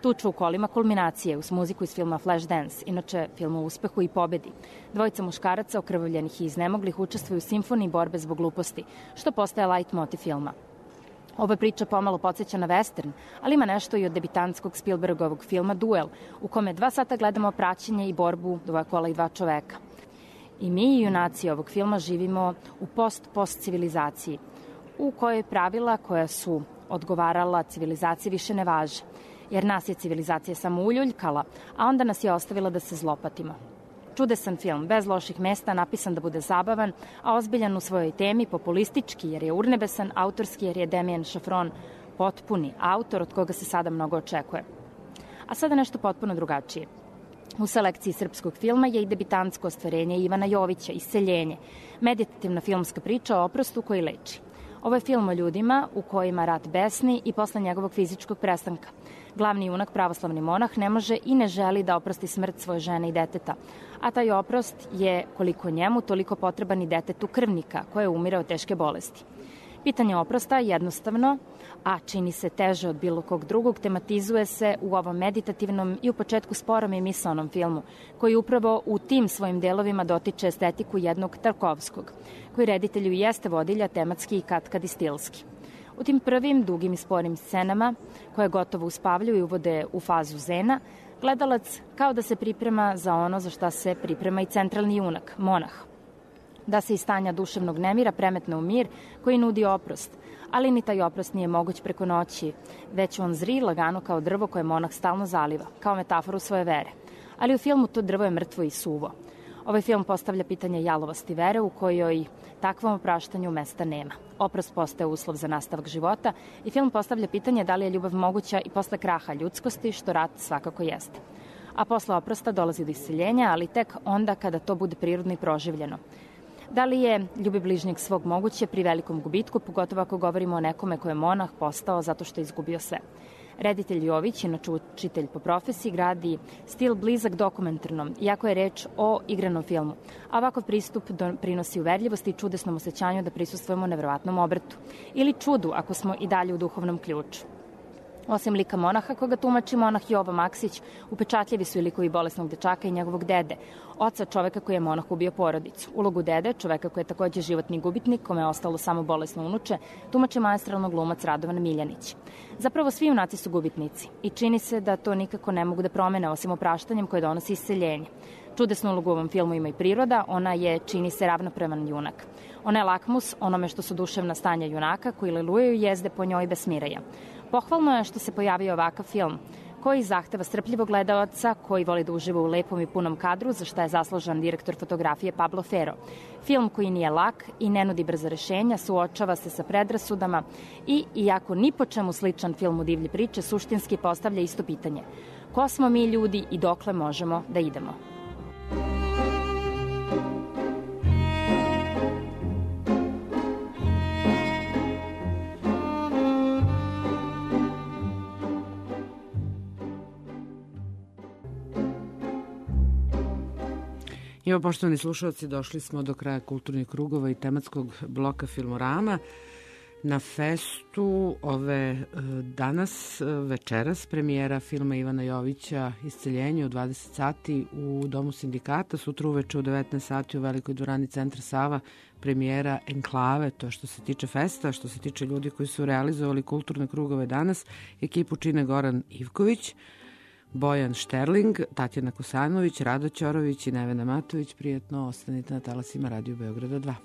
Tuču u kolima kulminacije uz muziku iz filma Flashdance, inače film o uspehu i pobedi. Dvojica muškaraca okrvavljenih i iznemoglih učestvuju u simfoniji borbe zbog gluposti, što postaje light motiv filma. Ova priča pomalo podsjeća na western, ali ima nešto i od debitantskog Spielbergovog filma Duel, u kome dva sata gledamo praćenje i borbu dva kola i dva čoveka. I mi, junaci ovog filma, živimo u post-post civilizaciji, u kojoj pravila koja su odgovarala civilizaciji više ne važe, jer nas je civilizacija samo uljuljkala, a onda nas je ostavila da se zlopatimo. Čudesan film, bez loših mesta, napisan da bude zabavan, a ozbiljan u svojoj temi, populistički jer je urnebesan, autorski jer je Damien Šafron potpuni autor od koga se sada mnogo očekuje. A sada nešto potpuno drugačije. U selekciji srpskog filma je i debitantsko ostvarenje Ivana Jovića, Iseljenje, meditativna filmska priča o oprostu koji leči. Ovo je film o ljudima u kojima rat besni i posle njegovog fizičkog prestanka. Glavni junak, pravoslavni monah, ne može i ne želi da oprosti smrt svoje žene i deteta, a taj oprost je koliko njemu, toliko potreban i detetu krvnika koje umire od teške bolesti. Pitanje oprosta jednostavno, a čini se teže od bilo kog drugog, tematizuje se u ovom meditativnom i u početku sporom i misaonom filmu, koji upravo u tim svojim delovima dotiče estetiku jednog Tarkovskog, koji reditelju jeste vodilja tematski i katkad i stilski. U tim prvim, dugim i sporim scenama, koje gotovo uspavljuju i uvode u fazu zena, gledalac kao da se priprema za ono za šta se priprema i centralni junak, monah. Da se iz stanja duševnog nemira premetne u mir koji nudi oprost, ali ni taj oprost nije moguć preko noći, već on zri lagano kao drvo koje monah stalno zaliva, kao metaforu svoje vere. Ali u filmu to drvo je mrtvo i suvo. Ovaj film postavlja pitanje jalovosti vere u kojoj takvom opraštanju mesta nema. Oprost postaje uslov za nastavak života i film postavlja pitanje da li je ljubav moguća i posle kraha ljudskosti, što rat svakako jeste. A posle oprosta dolazi do iseljenja, ali tek onda kada to bude prirodno i proživljeno. Da li je ljubi bližnjeg svog moguće pri velikom gubitku, pogotovo ako govorimo o nekome ko je monah postao zato što je izgubio sve. Reditelj Jović, inače učitelj po profesiji, gradi stil blizak dokumentarnom, iako je reč o igranom filmu. A ovakav pristup prinosi uverljivosti i čudesnom osjećanju da prisustvujemo neverovatnom obrtu. Ili čudu, ako smo i dalje u duhovnom ključu. Osim lika monaha, koga tumači monah Jovo Maksić, upečatljivi su i likovi bolesnog dečaka i njegovog dede, oca čoveka koji je monah ubio porodicu. Ulogu dede, čoveka koji je takođe životni gubitnik, kome je ostalo samo bolesno unuče, tumači maestralno glumac Radovan Miljanić. Zapravo svi junaci su gubitnici i čini se da to nikako ne mogu da promene osim opraštanjem koje donosi iseljenje. Čudesnu ulogu u ovom filmu ima i priroda, ona je, čini se, ravnopravan junak. Ona je lakmus onome što su duševna stanja junaka koji lelujaju jezde po njoj bez smiraja. Pohvalno je što se pojavio ovakav film, koji zahteva strpljivog gledalaca koji voli da uživa u lepom i punom kadru, za šta je zaslužan direktor fotografije Pablo Ferro. Film koji nije lak i ne nudi brza rešenja, suočava se sa predrasudama i, iako ni po čemu sličan filmu divlje priče, suštinski postavlja isto pitanje. Ko smo mi ljudi i dokle možemo da idemo? Evo, poštovani slušalci, došli smo do kraja kulturnih krugova i tematskog bloka Filmorama. Na festu ove danas, večeras, premijera filma Ivana Jovića Isceljenje u dvadeset sati u Domu sindikata, sutra uveče u devetnaest sati u Velikoj dvorani Centra Sava premijera Enklave, to što se tiče festa. Što se tiče ljudi koji su realizovali kulturne krugove danas, ekipu čine Goran Ivković, Bojan Šterling, Tatjana Kosanović, Rado Ćorović i Nevena Matović. Prijetno ostanite na talasima Radio Beograda dva.